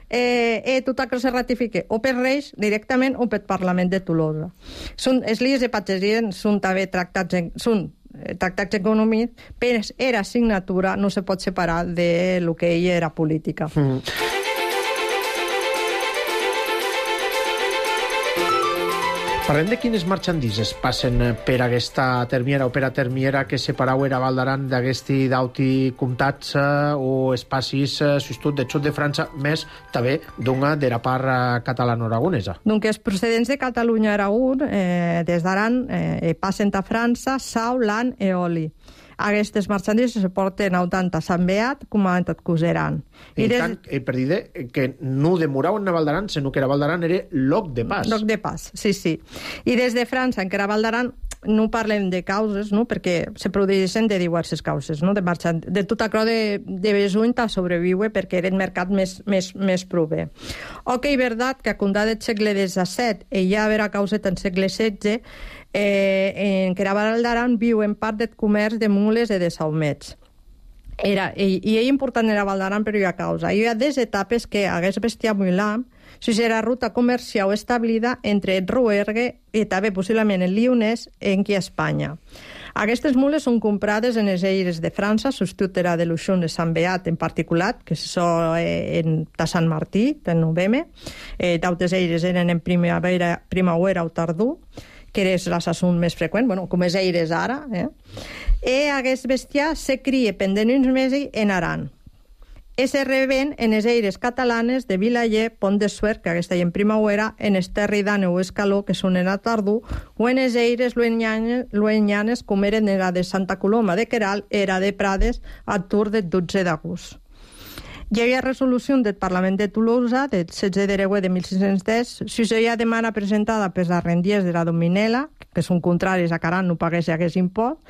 N: eh, eh, tot això se ratifique o per reis directament o pel Parlament de Toulouse. Són, els líders de patgeria són també tractats, en, són tractats econòmics, però era assignatura, no se pot separar de lo que ella era política. Mm.
B: Parlem de quines marxandises passen per aquesta termiera o per a termiera que separau era Val d'Aran d'aquesti d'auti comtats o espacis substitut de xut de França, més també d'una de la part catalano-aragonesa.
N: Donc els procedents de Catalunya-Aragó eh, des d'Aran eh, passen a França, sau, lan i oli. Aquestes marxandises se porten tant a Sant Beat com a Coseran.
B: I des... tant, eh, per dir que no demoraven a Val d'Aran, sinó que era Val d'Aran era loc de pas.
N: Loc de pas, sí, sí. I des de França, encara Val d'Aran, no parlem de causes, no? Perquè se produeixen de diverses causes, no? De, marxant... de tot això de, de Besuny ta sobreviure perquè era el mercat més, més, més proper. Ok, veritat que a contar del segle disset i ja haver a causa en segle setze, eh, en que era Val d'Aran viu en part del comerç de mules i de saumets. Era, i, i és important era Val d'Aran per una causa. Hi ha des etapes que hagués bestiar molt l'am, si era ruta comercial establida entre el Rouergue i també possiblement el Lyonès en qui a Espanya. Aquestes mules són comprades en els aires de França, substitut era de l'Uixón de Sant Beat en particular, que és eh, en de Sant Martí, del novembre. Eh, D'altres aires eren en primavera, primavera o tardor, que és l'assumpte més freqüent, bueno, com és eires ara, eh? E aquest bestiar se cria pendent uns mesos en Aran. E se reben en les eires catalanes de Vilaller, Pont de Suert, que aquesta hi en primavera, en Esterri d'Àneu o Escaló, que són en la tardor, o en les eires luenyanes, luenyanes com eren era de Santa Coloma de Queralt, era de Prades, a Tour del dotze d'agost. Hi havia resolució del Parlament de Tolosa, del setze d'Ereuer de mil sis-cents deu, si hi ha demanda presentada per les rendiers de la Dominela, que són contraris a que Aran no pagués aquest impost,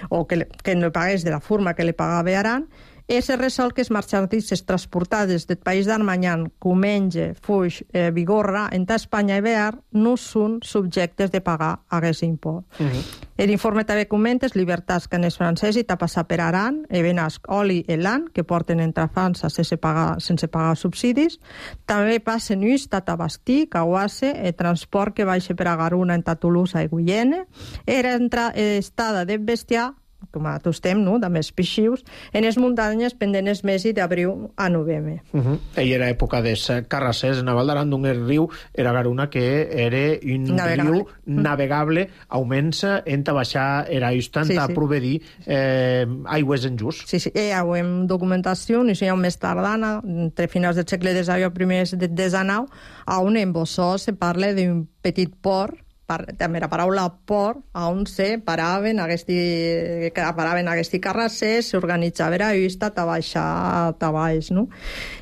N: o que, que no pagués de la forma que li pagava Aran, i se resol que les marxandisses transportades del País d'Armanyan, Comenge, Fuix, eh, Vigorra, entre Espanya i Bear, no són subjectes de pagar aquest impost. Uh -huh. L'informe també comenta les llibertats que en els francesos i passar per Aran, e Benasc, Oli i Lan, que porten entre França sense pagar, sense pagar subsidis. També passen ús a Tabastí, Cauasse, el transport que baixa per a Garuna entre Tolosa i Guyene. Era estada de bestiar, com a tots estem, no?, de més pixius, en les muntanyes pendent els mesos d'abril a novembre.
B: Uh -huh. I era època de carrassers en Val d'Aran, d'un riu, era Garuna, que era un navegable. riu navegable, augments en baixar era just sí, a sí. proveir eh, aigües en just.
N: Sí, sí, hi ha documentació, i hi ha més tardana, entre finals del segle desè i primers del desenau, on en Bossó se parla d'un petit port, també la paraula port, on se paraven aquesti, paraven aquesti carrassers, s'organitzava la vista a baixar a baix, no?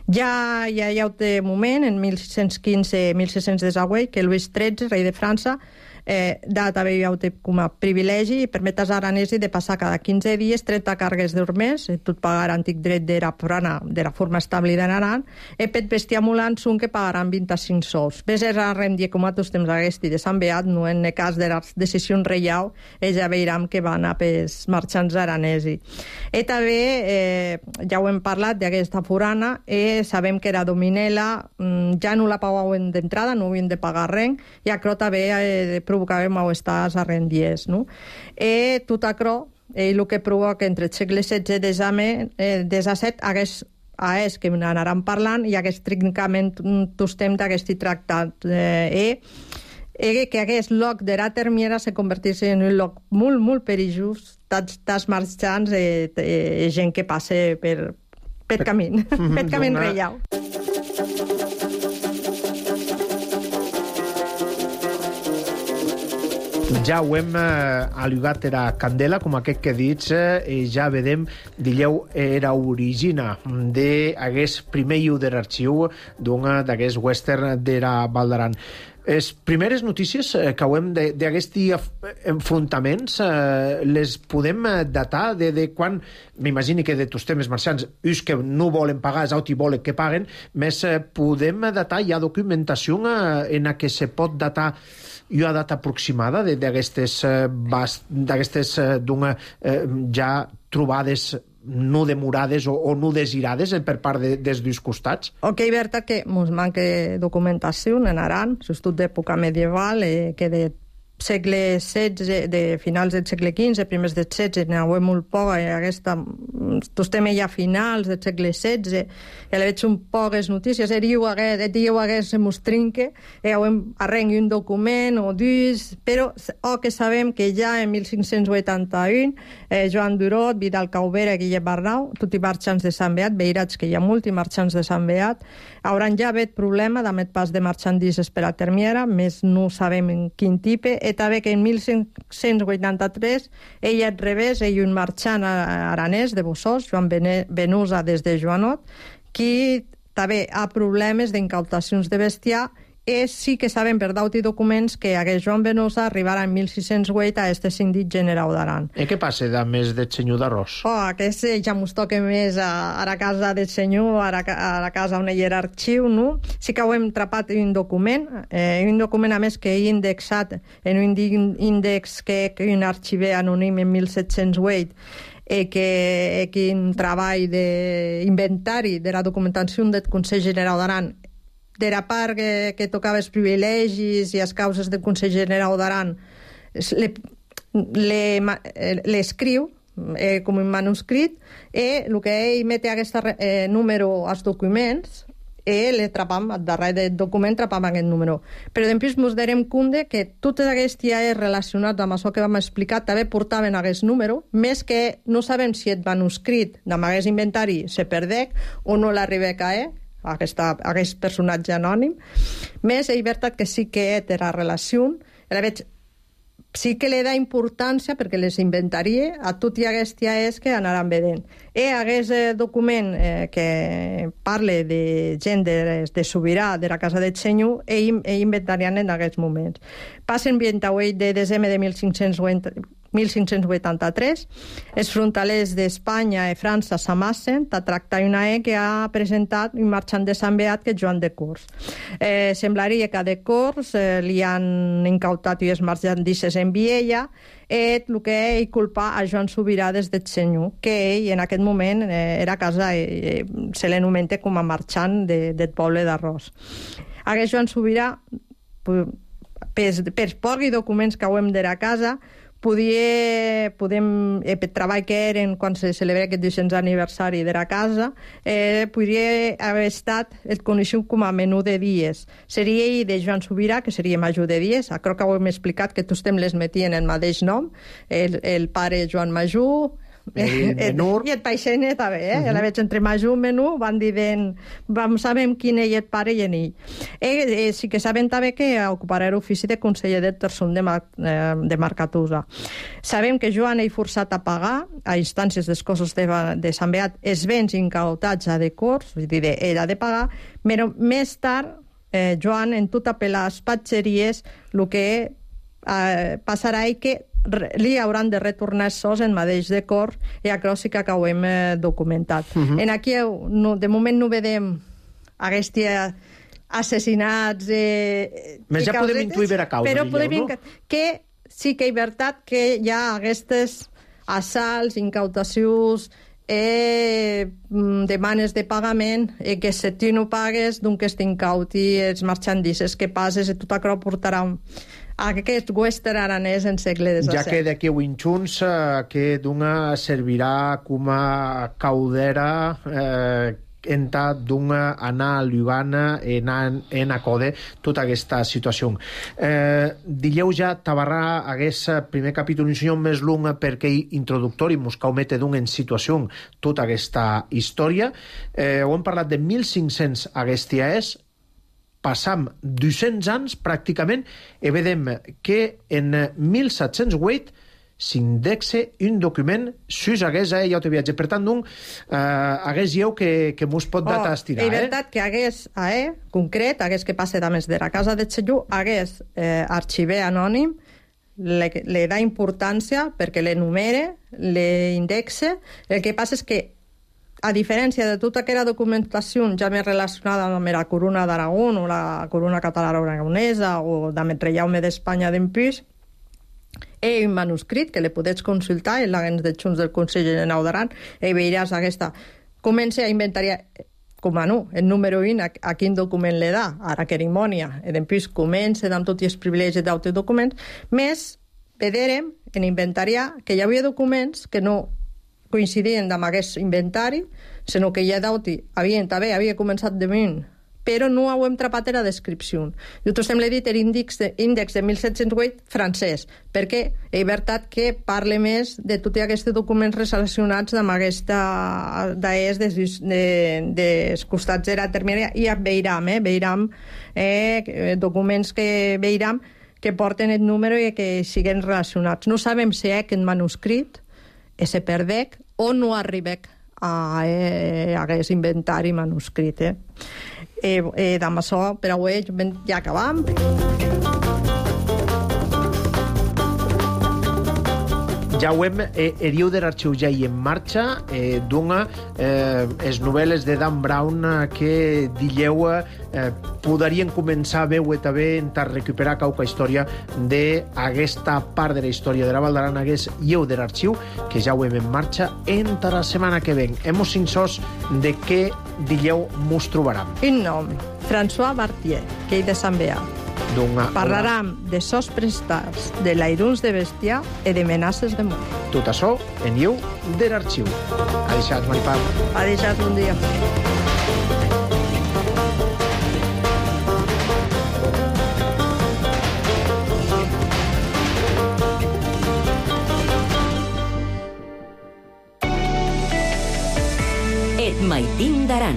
N: Ja hi ha, hi ha un moment, en mil sis-cents quinze mil sis-cents divuit, que Luis tretze, rei de França, eh, data també hi ha com a privilegi i permet als aranesos de passar cada quinze dies trenta cargues d'ormers, tot pagar antic dret de la, de la forma establida en Aran, i per bestiar mulant són que pagaran vint-i-cinc sous. Ves a rendir com a tots temps aquest de Sant Beat, no en el cas de les decisions reial, ells ja veiran que van a pels marxants aranesos. I també, eh, ja ho hem parlat d'aquesta forana, i sabem que era Dominela, ja no la pagaven d'entrada, no havien de pagar res, i això també eh, provocava malestars a rendiers, no? I tot això, el que provoca entre el segle setze i disset hagués a és que n'anaran parlant i aquest trincament tots temps d'aquest tractat. Eh, i que aquest lloc de la termiera se convertís en un lloc molt, molt perillós, tants marxants i eh, gent que passa per, per camí, per camí reial.
B: Ja ho hem eh, al·lugat era Candela, com aquest que dits, eh, ja vedem, dilleu, era origina d'aquest primer lliu de l'arxiu d'una d'aquest western de la Val d'Aran. Les primeres notícies que hem d'aquests enfrontaments eh, les podem datar de, de quan, m'imagini que de tots temes marxants, us que no volen pagar, és auti volen que paguen, més eh, podem datar, hi ha documentació eh, en la que se pot datar una data aproximada d'aquestes eh, eh, eh, ja trobades no demorades o, o no desirades per part de, dels dos costats?
N: Ok, Berta, que ens manca documentació en Aran, sobretot d'època medieval, eh, que de segle setze, de finals del segle quinze, primers del setze, n'hi ha molt poc, i aquesta, tots temes ja finals del segle setze, i veig un poques notícies, e diu hagués se mos trinque, i arrengui un document o dos, però o que sabem que ja en mil cinc-cents vuitanta-u, eh, Joan Durot, Vidal Caubera, Guillem Barnau, tots i marxants de Sant Beat, veirats que hi ha molts marxants de Sant Beat, hauran ja hagut problema d'amet pas de marxandises per a termiera, més no sabem en quin tipus, i també que en mil cinc-cents vuitanta-tres ell al revés, ell un marxant aranès de Bossós, Joan Benusa des de Joanot, qui també ha problemes d'incautacions de bestiar, i sí que sabem per d'auti documents que aquest Joan Benusa arribarà en mil sis-cents vuit a este síndic general d'Aran.
B: I què passa de més del senyor d'Arròs?
N: Oh, aquest ja mos toca més a, a la casa del senyor, a la, a la casa on hi era arxiu, no? Sí que ho hem trapat un document, eh, un document a més que he indexat en un índex que, que un arxiver anònim en mil set-cents vuit, i que, que un treball d'inventari de la documentació del Consell General d'Aran de la part que, que tocava els privilegis i les causes del Consell General d'Aran l'escriu eh, com un manuscrit, i el que ell mete aquest eh, número als documents e le trapam, al darrere del document trapam aquest número. Però després ens darem compte que totes aquestes ja és relacionat amb això que vam explicar, també portaven aquest número, més que no sabem si el manuscrit amb aquest inventari se perdec o no l'arriba a caer, aquesta, aquest personatge anònim. Més, és veritat que sí que té la relació, la veig sí que li da importància perquè les inventaria a tot i aquest ja és que anaran vedent. I aquest eh, document eh, que parla de gent de, de Sobirà, de la casa de Senyor, i inventarian en aquests moments. Passen vint-i-vuit de desembre de mil cinc-cents vuitanta-tres, els frontalers d'Espanya i França s'amassen a tractar una E que ha presentat un marxant de Sant Beat que és Joan de Cors. Eh, semblaria que a de Cors eh, li han incautat i es marxandisses en Viella, i el que ell culpa a Joan Sobirà des de Senyor, que ell en aquest moment eh, era a casa, eh, se l'anomenta com a marxant de, del poble d'Arròs. Aquest Joan Sobirà, per, per pocs documents que hem de la casa, podia, podem, eh, per treball que eren quan se celebra aquest dues-cents aniversari de la casa, eh, podria haver estat el coneixut com a menú de dies. Seria ell de Joan Sobirà, que seria major de dies. Crec que ho hem explicat que tots les metien el mateix nom, el, el pare Joan Major, el menú. I el paixene també, eh? Uh -huh. La veig entre major i menú, van dient, vam sabem quin és el pare i en ell. Eh, eh, sí que sabem també que ocuparà l'ofici de conseller del Terçon de, Mar, eh, de Marcatusa. Sabem que Joan és forçat a pagar, a instàncies dels cossos de, de Sant Beat, els béns incautats a de Cors, és a dir, ell ha de pagar, però més tard, eh, Joan, en tot apel·lar a les patxeries, el que eh, passarà és que li hauran de retornar sos en mateix de Cors i això sí que ho hem eh, documentat. Uh -huh. En aquí, no, de moment no vedem aquests assassinats eh,
B: més ja podem intuir ver a causa,
N: però
B: digueu,
N: podem
B: no?
N: Que sí que és veritat que hi ha aquestes assalts, incautacions, eh, demanes de pagament, eh, que si tu no pagues, doncs t'incauti els marxandisses que passes i tot això portarà aquest western aranès en segle disset.
B: Ja que d'aquí ho inxuns, eh, que d'una servirà com a caudera eh, entà d'una anar a Ljubana en, en acode tota aquesta situació. Eh, Dileu ja tabarrà aquest primer capítol un senyor més long perquè introductori mos caumete d'un en situació tota aquesta història. Eh, ho hem parlat de mil cinc-cents aquesta és, passam dos-cents anys pràcticament i vedem que en mil set-cents vuit s'indexa un document sus hagués eh, ja ho viatge. Per tant, doncs, eh, hagués lleu que, que mos pot data
N: oh,
B: estirar.
N: És veritat eh? que hagués, eh, concret, hagués que passe a més de la casa de Senyor, hagués eh, arxiver anònim, le, le da importància perquè l'enumere, l'indexa. El que passa és que a diferència de tota aquella documentació ja més relacionada amb la corona d'Aragó o la corona catalana aragonesa o amb el reialme d'Espanya d'Empús, hi ha un manuscrit que le podets consultar en l'agents de Junts del Consell General d'Aran i veuràs aquesta. Comença a inventariar com a no, el número un, a, a quin document le da, a la cerimònia. I després comença amb tots els privilegis d'altres documents, més veurem en inventariar que hi havia documents que no coincidien amb aquest inventari, sinó que ja d'auti havien, també havia començat de vint, però no ho hem trapat en la descripció. Nosaltres hem dit l'índex de, de mil set-cents vuit francès, perquè és veritat que parla més de tots aquests documents relacionats amb aquesta d'es dels de, de costats de la terminària, i veiram, eh, veiram eh, documents que veiram que porten el número i que siguen relacionats. No sabem si és aquest manuscrit se perdec o no arribec a eh, aquest inventari manuscrit. Eh? Eh, eh, amb això, per avui, ja acabam.
B: Ja ho hem, eh, Eriu de l'Arxiu ja hi en marxa, eh, d'una, eh, les novel·les de Dan Brown eh, que dilleu eh, podrien començar a veure també a recuperar qualque història d'aquesta part de la història de la Val d'Aran, hagués lleu de l'Arxiu, que ja ho hem en marxa entre la setmana que ven. Hemos cinc-sos de què dilleu mos trobaram.
N: Un nom, François Bartier, que és de Sant Beat. Parlarem de sos prestats, de lairuns de bestiar i de menaces de mort.
B: Tot això en Lleu de l'Arxiu. Ha deixat, Maripau.
N: Ha deixat un dia.
A: Et maitin d'aran.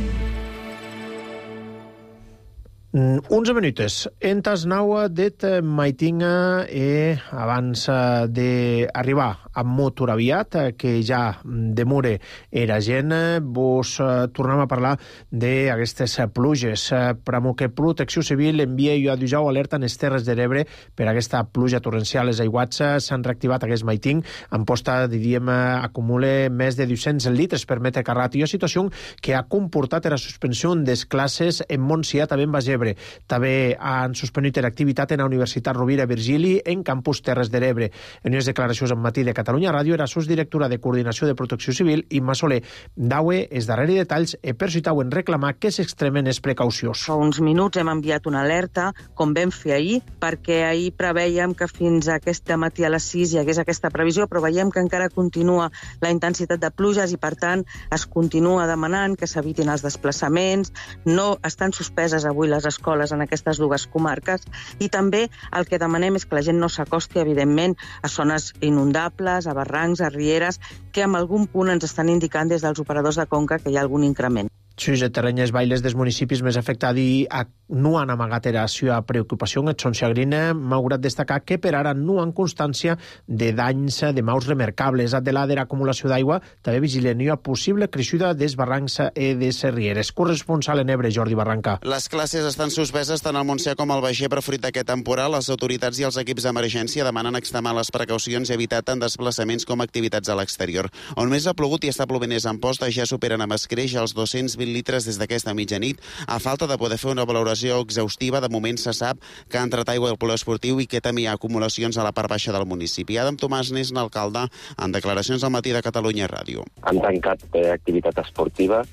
B: onze minutes. Entas naua det maitinga e abans d'arribar a motor aviat, que ja demure era gent, vos tornem a parlar d'aquestes pluges. Pramo que Protecció Civil envia i ha d'usar alerta en les Terres de l'Ebre per aquesta pluja torrencial. Les aiguats s'han reactivat aquest maiting. En posta, diríem, acumula més de dos-cents litres per metre carrat. I una situació que ha comportat la suspensió des classes en Montsià, també en Baix Ebre. També han suspendit l'activitat en la Universitat Rovira Virgili en campus Terres de l'Ebre. En unes declaracions en matí de Catalunya Ràdio, era subdirectora de Coordinació de Protecció Civil, Imma Soler. Daue els darrers detalls e per si tauen reclamar que s'extremen les precaucions.
O: Fa uns minuts hem enviat una alerta, com vam fer ahir, perquè ahir preveiem que fins a aquest matí a les sis hi hagués aquesta previsió, però veiem que encara continua la intensitat de pluges i, per tant, es continua demanant que s'evitin els desplaçaments. No estan suspeses avui les escoles en aquestes dues comarques i també el que demanem és que la gent no s'acosti, evidentment, a zones inundables, a barrancs, a rieres, que en algun punt ens estan indicant des dels operadors de conca que hi ha algun increment.
B: Sus terrenyes bailes dels municipis més afectats i no han amagat la seva preocupació. Et són Sagrina, malgrat destacar que per ara no han constància de danys de maus remarcables. Adela de l'acumulació d'aigua, també vigilen una possible creixuda des barrancs i des rieres. Corresponsal en Ebre, Jordi Barranca.
P: Les classes estan suspeses tant al Montsià com al Baix Ebre fruit d'aquest temporal. Les autoritats i els equips d'emergència demanen extremar les precaucions i evitar tant desplaçaments com activitats a l'exterior. On més ha plogut i està plovent és Amposta, ja superen amb escreix els dos-cents vint litres des d'aquesta mitjanit. A falta de poder fer una valoració exhaustiva, de moment se sap que ha entrat aigua al poliesportiu i que també hi ha acumulacions a la part baixa del municipi. Adam Tomàs n'és l'alcalde en declaracions al matí de Catalunya Ràdio.
Q: Han tancat eh, activitat esportiva,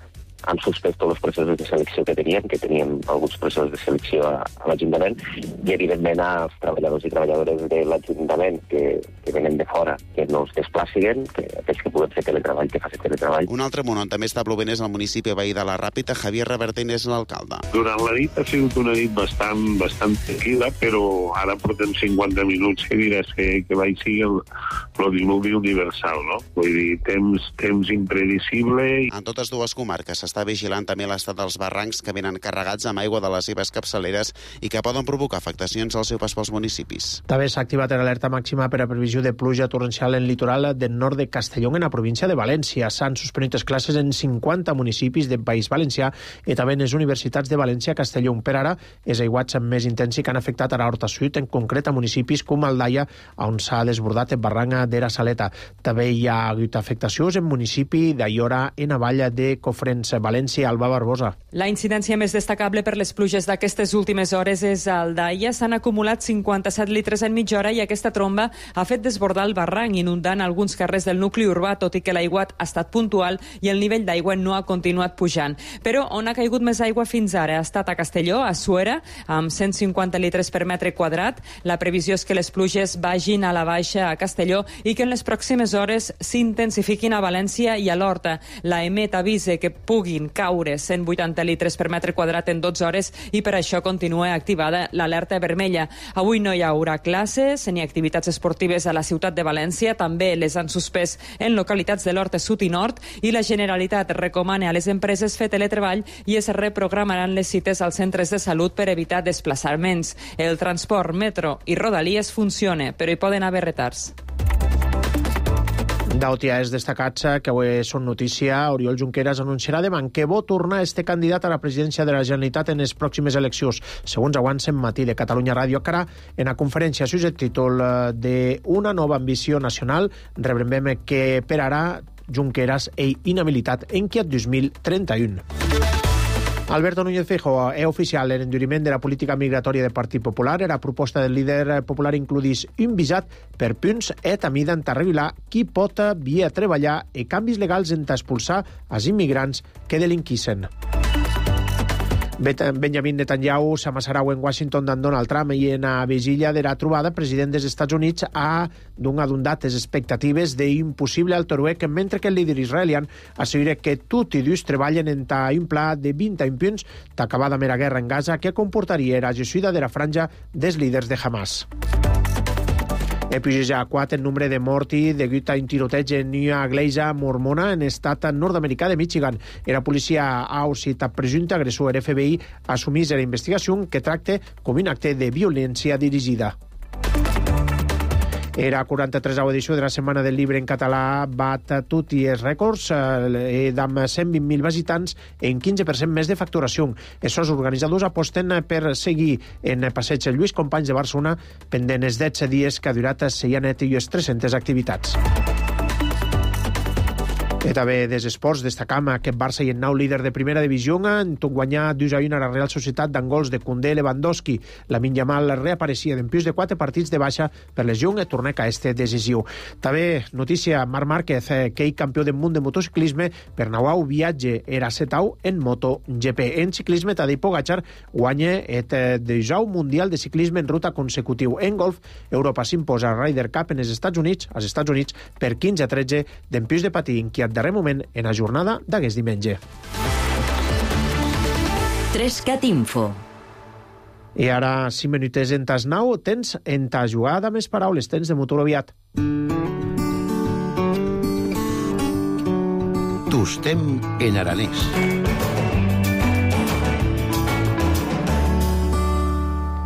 Q: han suspès tots els processos de selecció que teníem, que teníem alguns processos de selecció a, a l'Ajuntament, i evidentment als treballadors i treballadores de l'Ajuntament que, que venen de fora, que no es desplaciguen, que aquells que puguen fer teletreball, que facin teletreball.
P: Un altre món on també està plovent és el municipi veí de la Ràpita. Javier Revertent és l'alcalde.
R: Durant la nit ha sigut una nit bastant, bastant tranquil·la, però ara portem cinquanta minuts que diràs que, que va sigui el, el diluvi universal, no? Vull dir, temps, temps imprevisible.
P: En totes dues comarques s'està vigilant també l'estat dels barrancs que venen carregats amb aigua de les seves capçaleres i que poden provocar afectacions al seu pas pels municipis.
B: També s'ha activat l'alerta màxima per a previsió de pluja torrencial en litoral del nord de Castelló, en la província de València. S'han suspendit les classes en cinquanta municipis del País Valencià i també en les universitats de València i Castelló. Per ara, els aiguats més intensos que han afectat a l'Horta Sud, en concret a municipis com Aldaia, on s'ha desbordat el barranc de la Saleta. També hi ha hagut afectacions en municipi d'Aiora, en la vall de Cofrents, València. Alba Barbosa.
S: La incidència més destacable per les pluges d'aquestes últimes hores és a Aldaia. S'han acumulat cinquanta-set litres en mitja hora i aquesta tromba ha fet desbordar el barranc, inundant alguns carrers del nucli urbà, tot i que l'aiguat ha estat puntual i el nivell d'aigua no ha continuat pujant. Però on ha caigut més aigua fins ara ha estat a Castelló, a Suera, amb cent cinquanta litres per metre quadrat. La previsió és que les pluges vagin a la baixa a Castelló i que en les pròximes hores s'intensifiquin a València i a l'Horta. La EMET avisa que puguin caure cent vuitanta litres per metre quadrat en dotze hores i per això continua activada l'alerta vermella. Avui no hi haurà classes ni activitats esportives a la ciutat de València, també les han suspès en localitats de l'Horta Sud i Nord i la Generalitat recomana a les empreses fer teletreball i es reprogramaran les cites als centres de salut per evitar desplaçaments. El transport, metro i rodalies funciona, però hi poden haver retards.
B: D'Otiaes destacats que avui són notícia, Oriol Junqueras anunciarà demà que vol tornar a este candidat a la presidència de la Generalitat en les pròximes eleccions, segons avancen matí de Catalunya Ràdio. Cara, en la conferència sus el títol de Una nova ambició nacional, rebrem que per ara Junqueras és inhabilitat en que el dos mil trenta-u. Alberto Núñez Feijóo és oficial l'enduriment de la política migratòria del Partit Popular. La proposta del líder popular includís un visat per punts e també d'entà revelar qui pot via treballar i canvis legals entà expulsar els immigrants que delinquissen. Benjamin Netanyahu s'amassarà en Washington d'en Donald Trump i en la vigília de la trobada, president dels Estats Units ha donat les expectatives d'impossible altoruec, mentre que el líder israelian assegura que tots i dos treballen en un pla de vint punts d'acabar amb la guerra en Gaza que comportaria la gessuida de la franja dels líders de Hamas. E puja a quatre el nombre de morti degut a un tiroteig en una església mormona en estat nord-americà de Michigan. Era policia ha citat presumpte agressor. El F B I assumís la investigació que tracta com un acte de violència dirigida. Era quaranta-tresena edició de la Setmana del Llibre en català bat tots els rècords eh, amb cent vint mil visitants en quinze per cent més de facturació. Els organitzadors aposten per seguir en Passeig Lluís Companys de Barcelona pendent els deu dies que ha durat Seianet i les tres-centes activitats. I també des esports destacam aquest Barça i el nou líder de primera divisió en tot guanyar dos a un a la Real Societat d'en gols de Koundé i Lewandowski. Lamine Yamal reapareixia d'empius de quatre partits de baixa per lesió i torneca a este decisiu. També notícia, Marc Márquez, que ell campió del món de motociclisme per nou viatge era setau en MotoGP. En ciclisme, Tadej Pogačar guanya el desau mundial de ciclisme en ruta consecutiu. En golf, Europa s'imposa a Ryder Cup en els Estats Units, als Estats Units per quinze a tretze d'empius de patí, inquiet darrer moment en la jornada d'aquest diumenge.
A: Trescat Info.
B: I ara, cinc minutets en tas nou, tens en ta jugada més paraules, tens de motor aviat.
T: Tostem en aranès.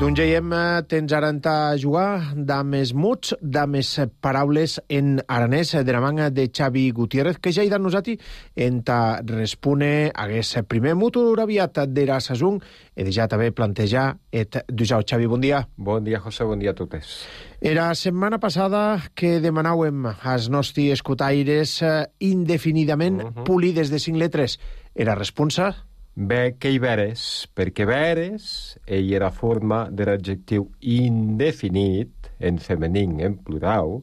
B: Doncs ja tens ara en ta jugar de més muts, de més paraules en aranès de la manga de Xavi Gutiérrez, que ja hi dan nosati en ta respone hagués primer motor aviat de la saison i de ja també plantejar et dusau. Xavi, bon dia.
U: Bon dia, José, bon dia a totes.
B: Era setmana passada que demanàvem als nostres escotaires indefinidament uh-huh. pulides de cinc letres. Era responsa?
U: Bé, que hi veres, perquè veres ell era forma de l'adjectiu indefinit, en femení, en plural,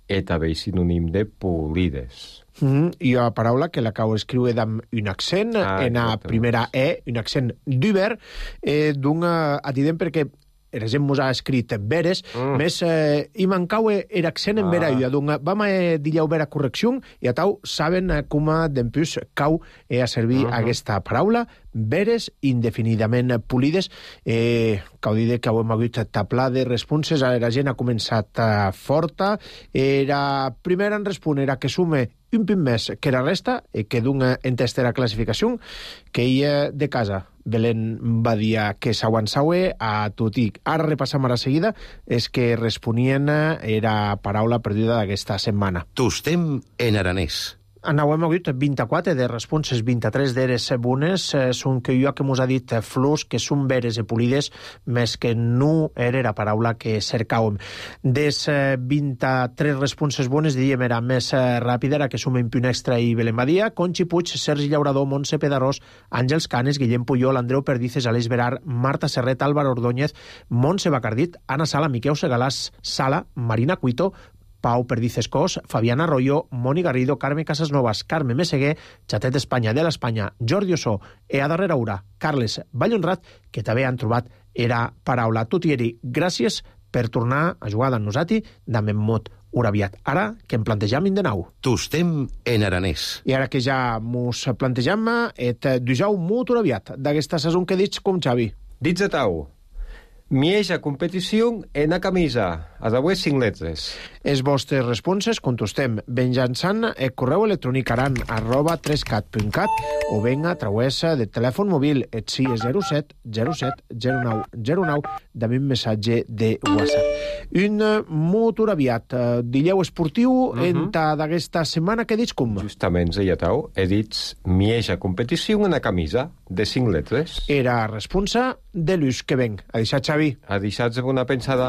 U: i també sinònim de polides.
B: Mm, I la paraula que l'acabo d'escriure amb un accent, ah, en la primera E, un accent d'uber, eh, d'un atident perquè era gent mos ha escrit veres, mm. més eh, i mancau era accent en vera, ah. donc vam a dir-ho vera correcció, i a tau saben com d'empús cau eh, a servir uh-huh. aquesta paraula, veres indefinidament polides, eh, cau dir que hem hagut taplar de responses, la gent ha començat eh, forta, era primera en respon, era que sume un pin més que la resta, i que d'un entesta classificació, que ella de casa Belén va dir que s'aguançaue a tot i ara repassam a la seguida és que responien era paraula perduda d'aquesta setmana.
T: Tostem en aranès.
B: Anauem hagut vint-i-quatre de responses, vint-i-tres d'eres bones, eh, són que jo que mos ha dit flors que són veres i polides, més que no era la paraula que cercàvem. Des eh, vint-i-tres responses bones, diríem, era més eh, ràpida, era que som en Punt Extra i Belén Badia, Conxi Puig, Sergi Llaurador, Montse Pedarós, Àngels Canes, Guillem Puyol, Andreu Perdices, Aleix Verar, Marta Serret, Álvaro Ordóñez, Montse Bacardit, Anna Sala, Miquel Segalàs, Sala, Marina Cuito, Pau Perdices Cos, Fabiana Arroyo, Moni Garrido, Carme Casasnovas, Carme Meseguer, Xatet Espanya de l'Espanya, Jordi Ossó, e a darrera hora, Carles Vallhonrat, que també han trobat era paraula. Tot i eri, gràcies per tornar a jugar amb nosaltres d'Amem Mot Uraviat. Ara que em plantejam de nou.
T: Tostem en aranès.
B: I ara que ja mos plantejam, et dujau Mot Uraviat d'aquesta saison que dits com Xavi.
U: Dits a tau. Mieja competició en a camisa, a d'avui cinc letres.
B: Els vostres responses contestem venjançant el correu electrònic aran arroba trescat punt cat o ben a través de telèfon mòbil et si zero set zero set zero nou zero nou de un missatge de WhatsApp. Un motor aviat, dilleu esportiu uh-huh. en ta d'aquesta setmana que dits com?
U: Justament, ja tau, he dit mieja competició en a camisa de cinc letres.
B: Era responsa de l'ús que venc. A deixar, Xavi.
U: A deixar-vos una pensada.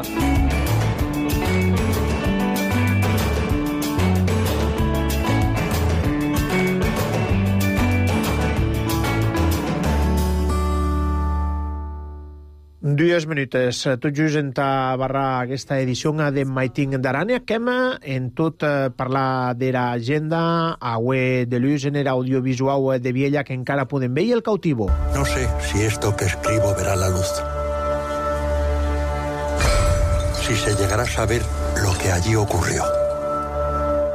B: Dues minutes, tot just en ta barra aquesta edició de Maiting d'Arània, que hem en tot eh, parlar de l'agenda, avui de l'ús en l'audiovisual de Viella que encara podem veure el cautivo.
V: No sé si esto que escribo verá la luz. Si se llegará a saber lo que allí ocurrió.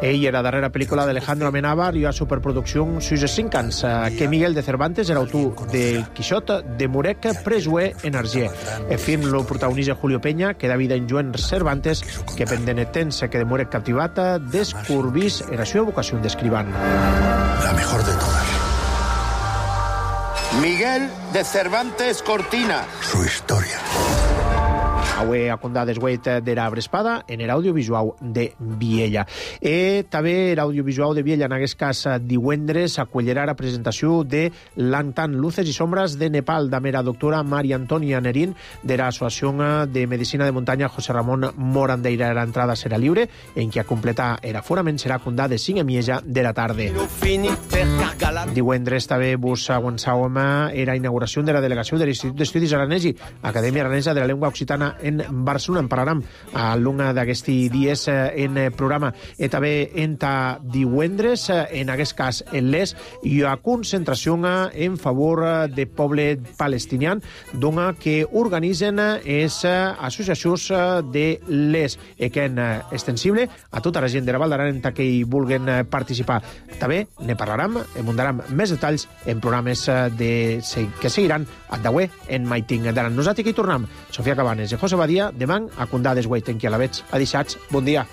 B: Ell era la darrera pel·lícula d'Alejandro Amenábar i a superproducció sus cinc anys, que Miguel de Cervantes era autor del Quixot de Murec Presué en Arger. El film lo protagonitza Julio Peña, que David en Joan Cervantes, que pendenetens que de Murec captivata descurbís era su vocació d'escrivant.
V: La mejor de todas.
C: Miguel de Cervantes Cortina.
V: Su historia.
B: Avui a condar desguet de la Brespada en l'audiovisual de Viella. E també l'audiovisual de Viella, en aquest cas divendres, acollerà la presentació de l'Antan Luces i Sombras de Nepal, de la doctora Maria Antònia Nerín, de l'Associació de Medicina de Muntanya José Ramon Morandeira. L'entrada serà lliure, en què a completar l'aforament serà condar de cinc a mitja de la tarda. Divendres també vos aguançàvem la inauguració de la delegació de l'Institut d'Estudis Aranesi, Acadèmia Aranesa de la Llengua Occitana en Barcelona. En parlarem a l'una d'aquests dies en programa. I també enta divendres, en aquest cas en l'Es, hi ha concentració en favor de poble palestinià, dona que organitzen les associacions de l'Es, i que és extensible a tota la gent de la Val d'Aran que hi vulguin participar. També ne parlarem, en donarem més detalls en programes de, que seguiran a Daué en Maiting d'Aran. Nosaltres aquí tornem. Sofia Cabanes i José Badia, demà a condar desguait en qui a la veig. Adixats, bon dia.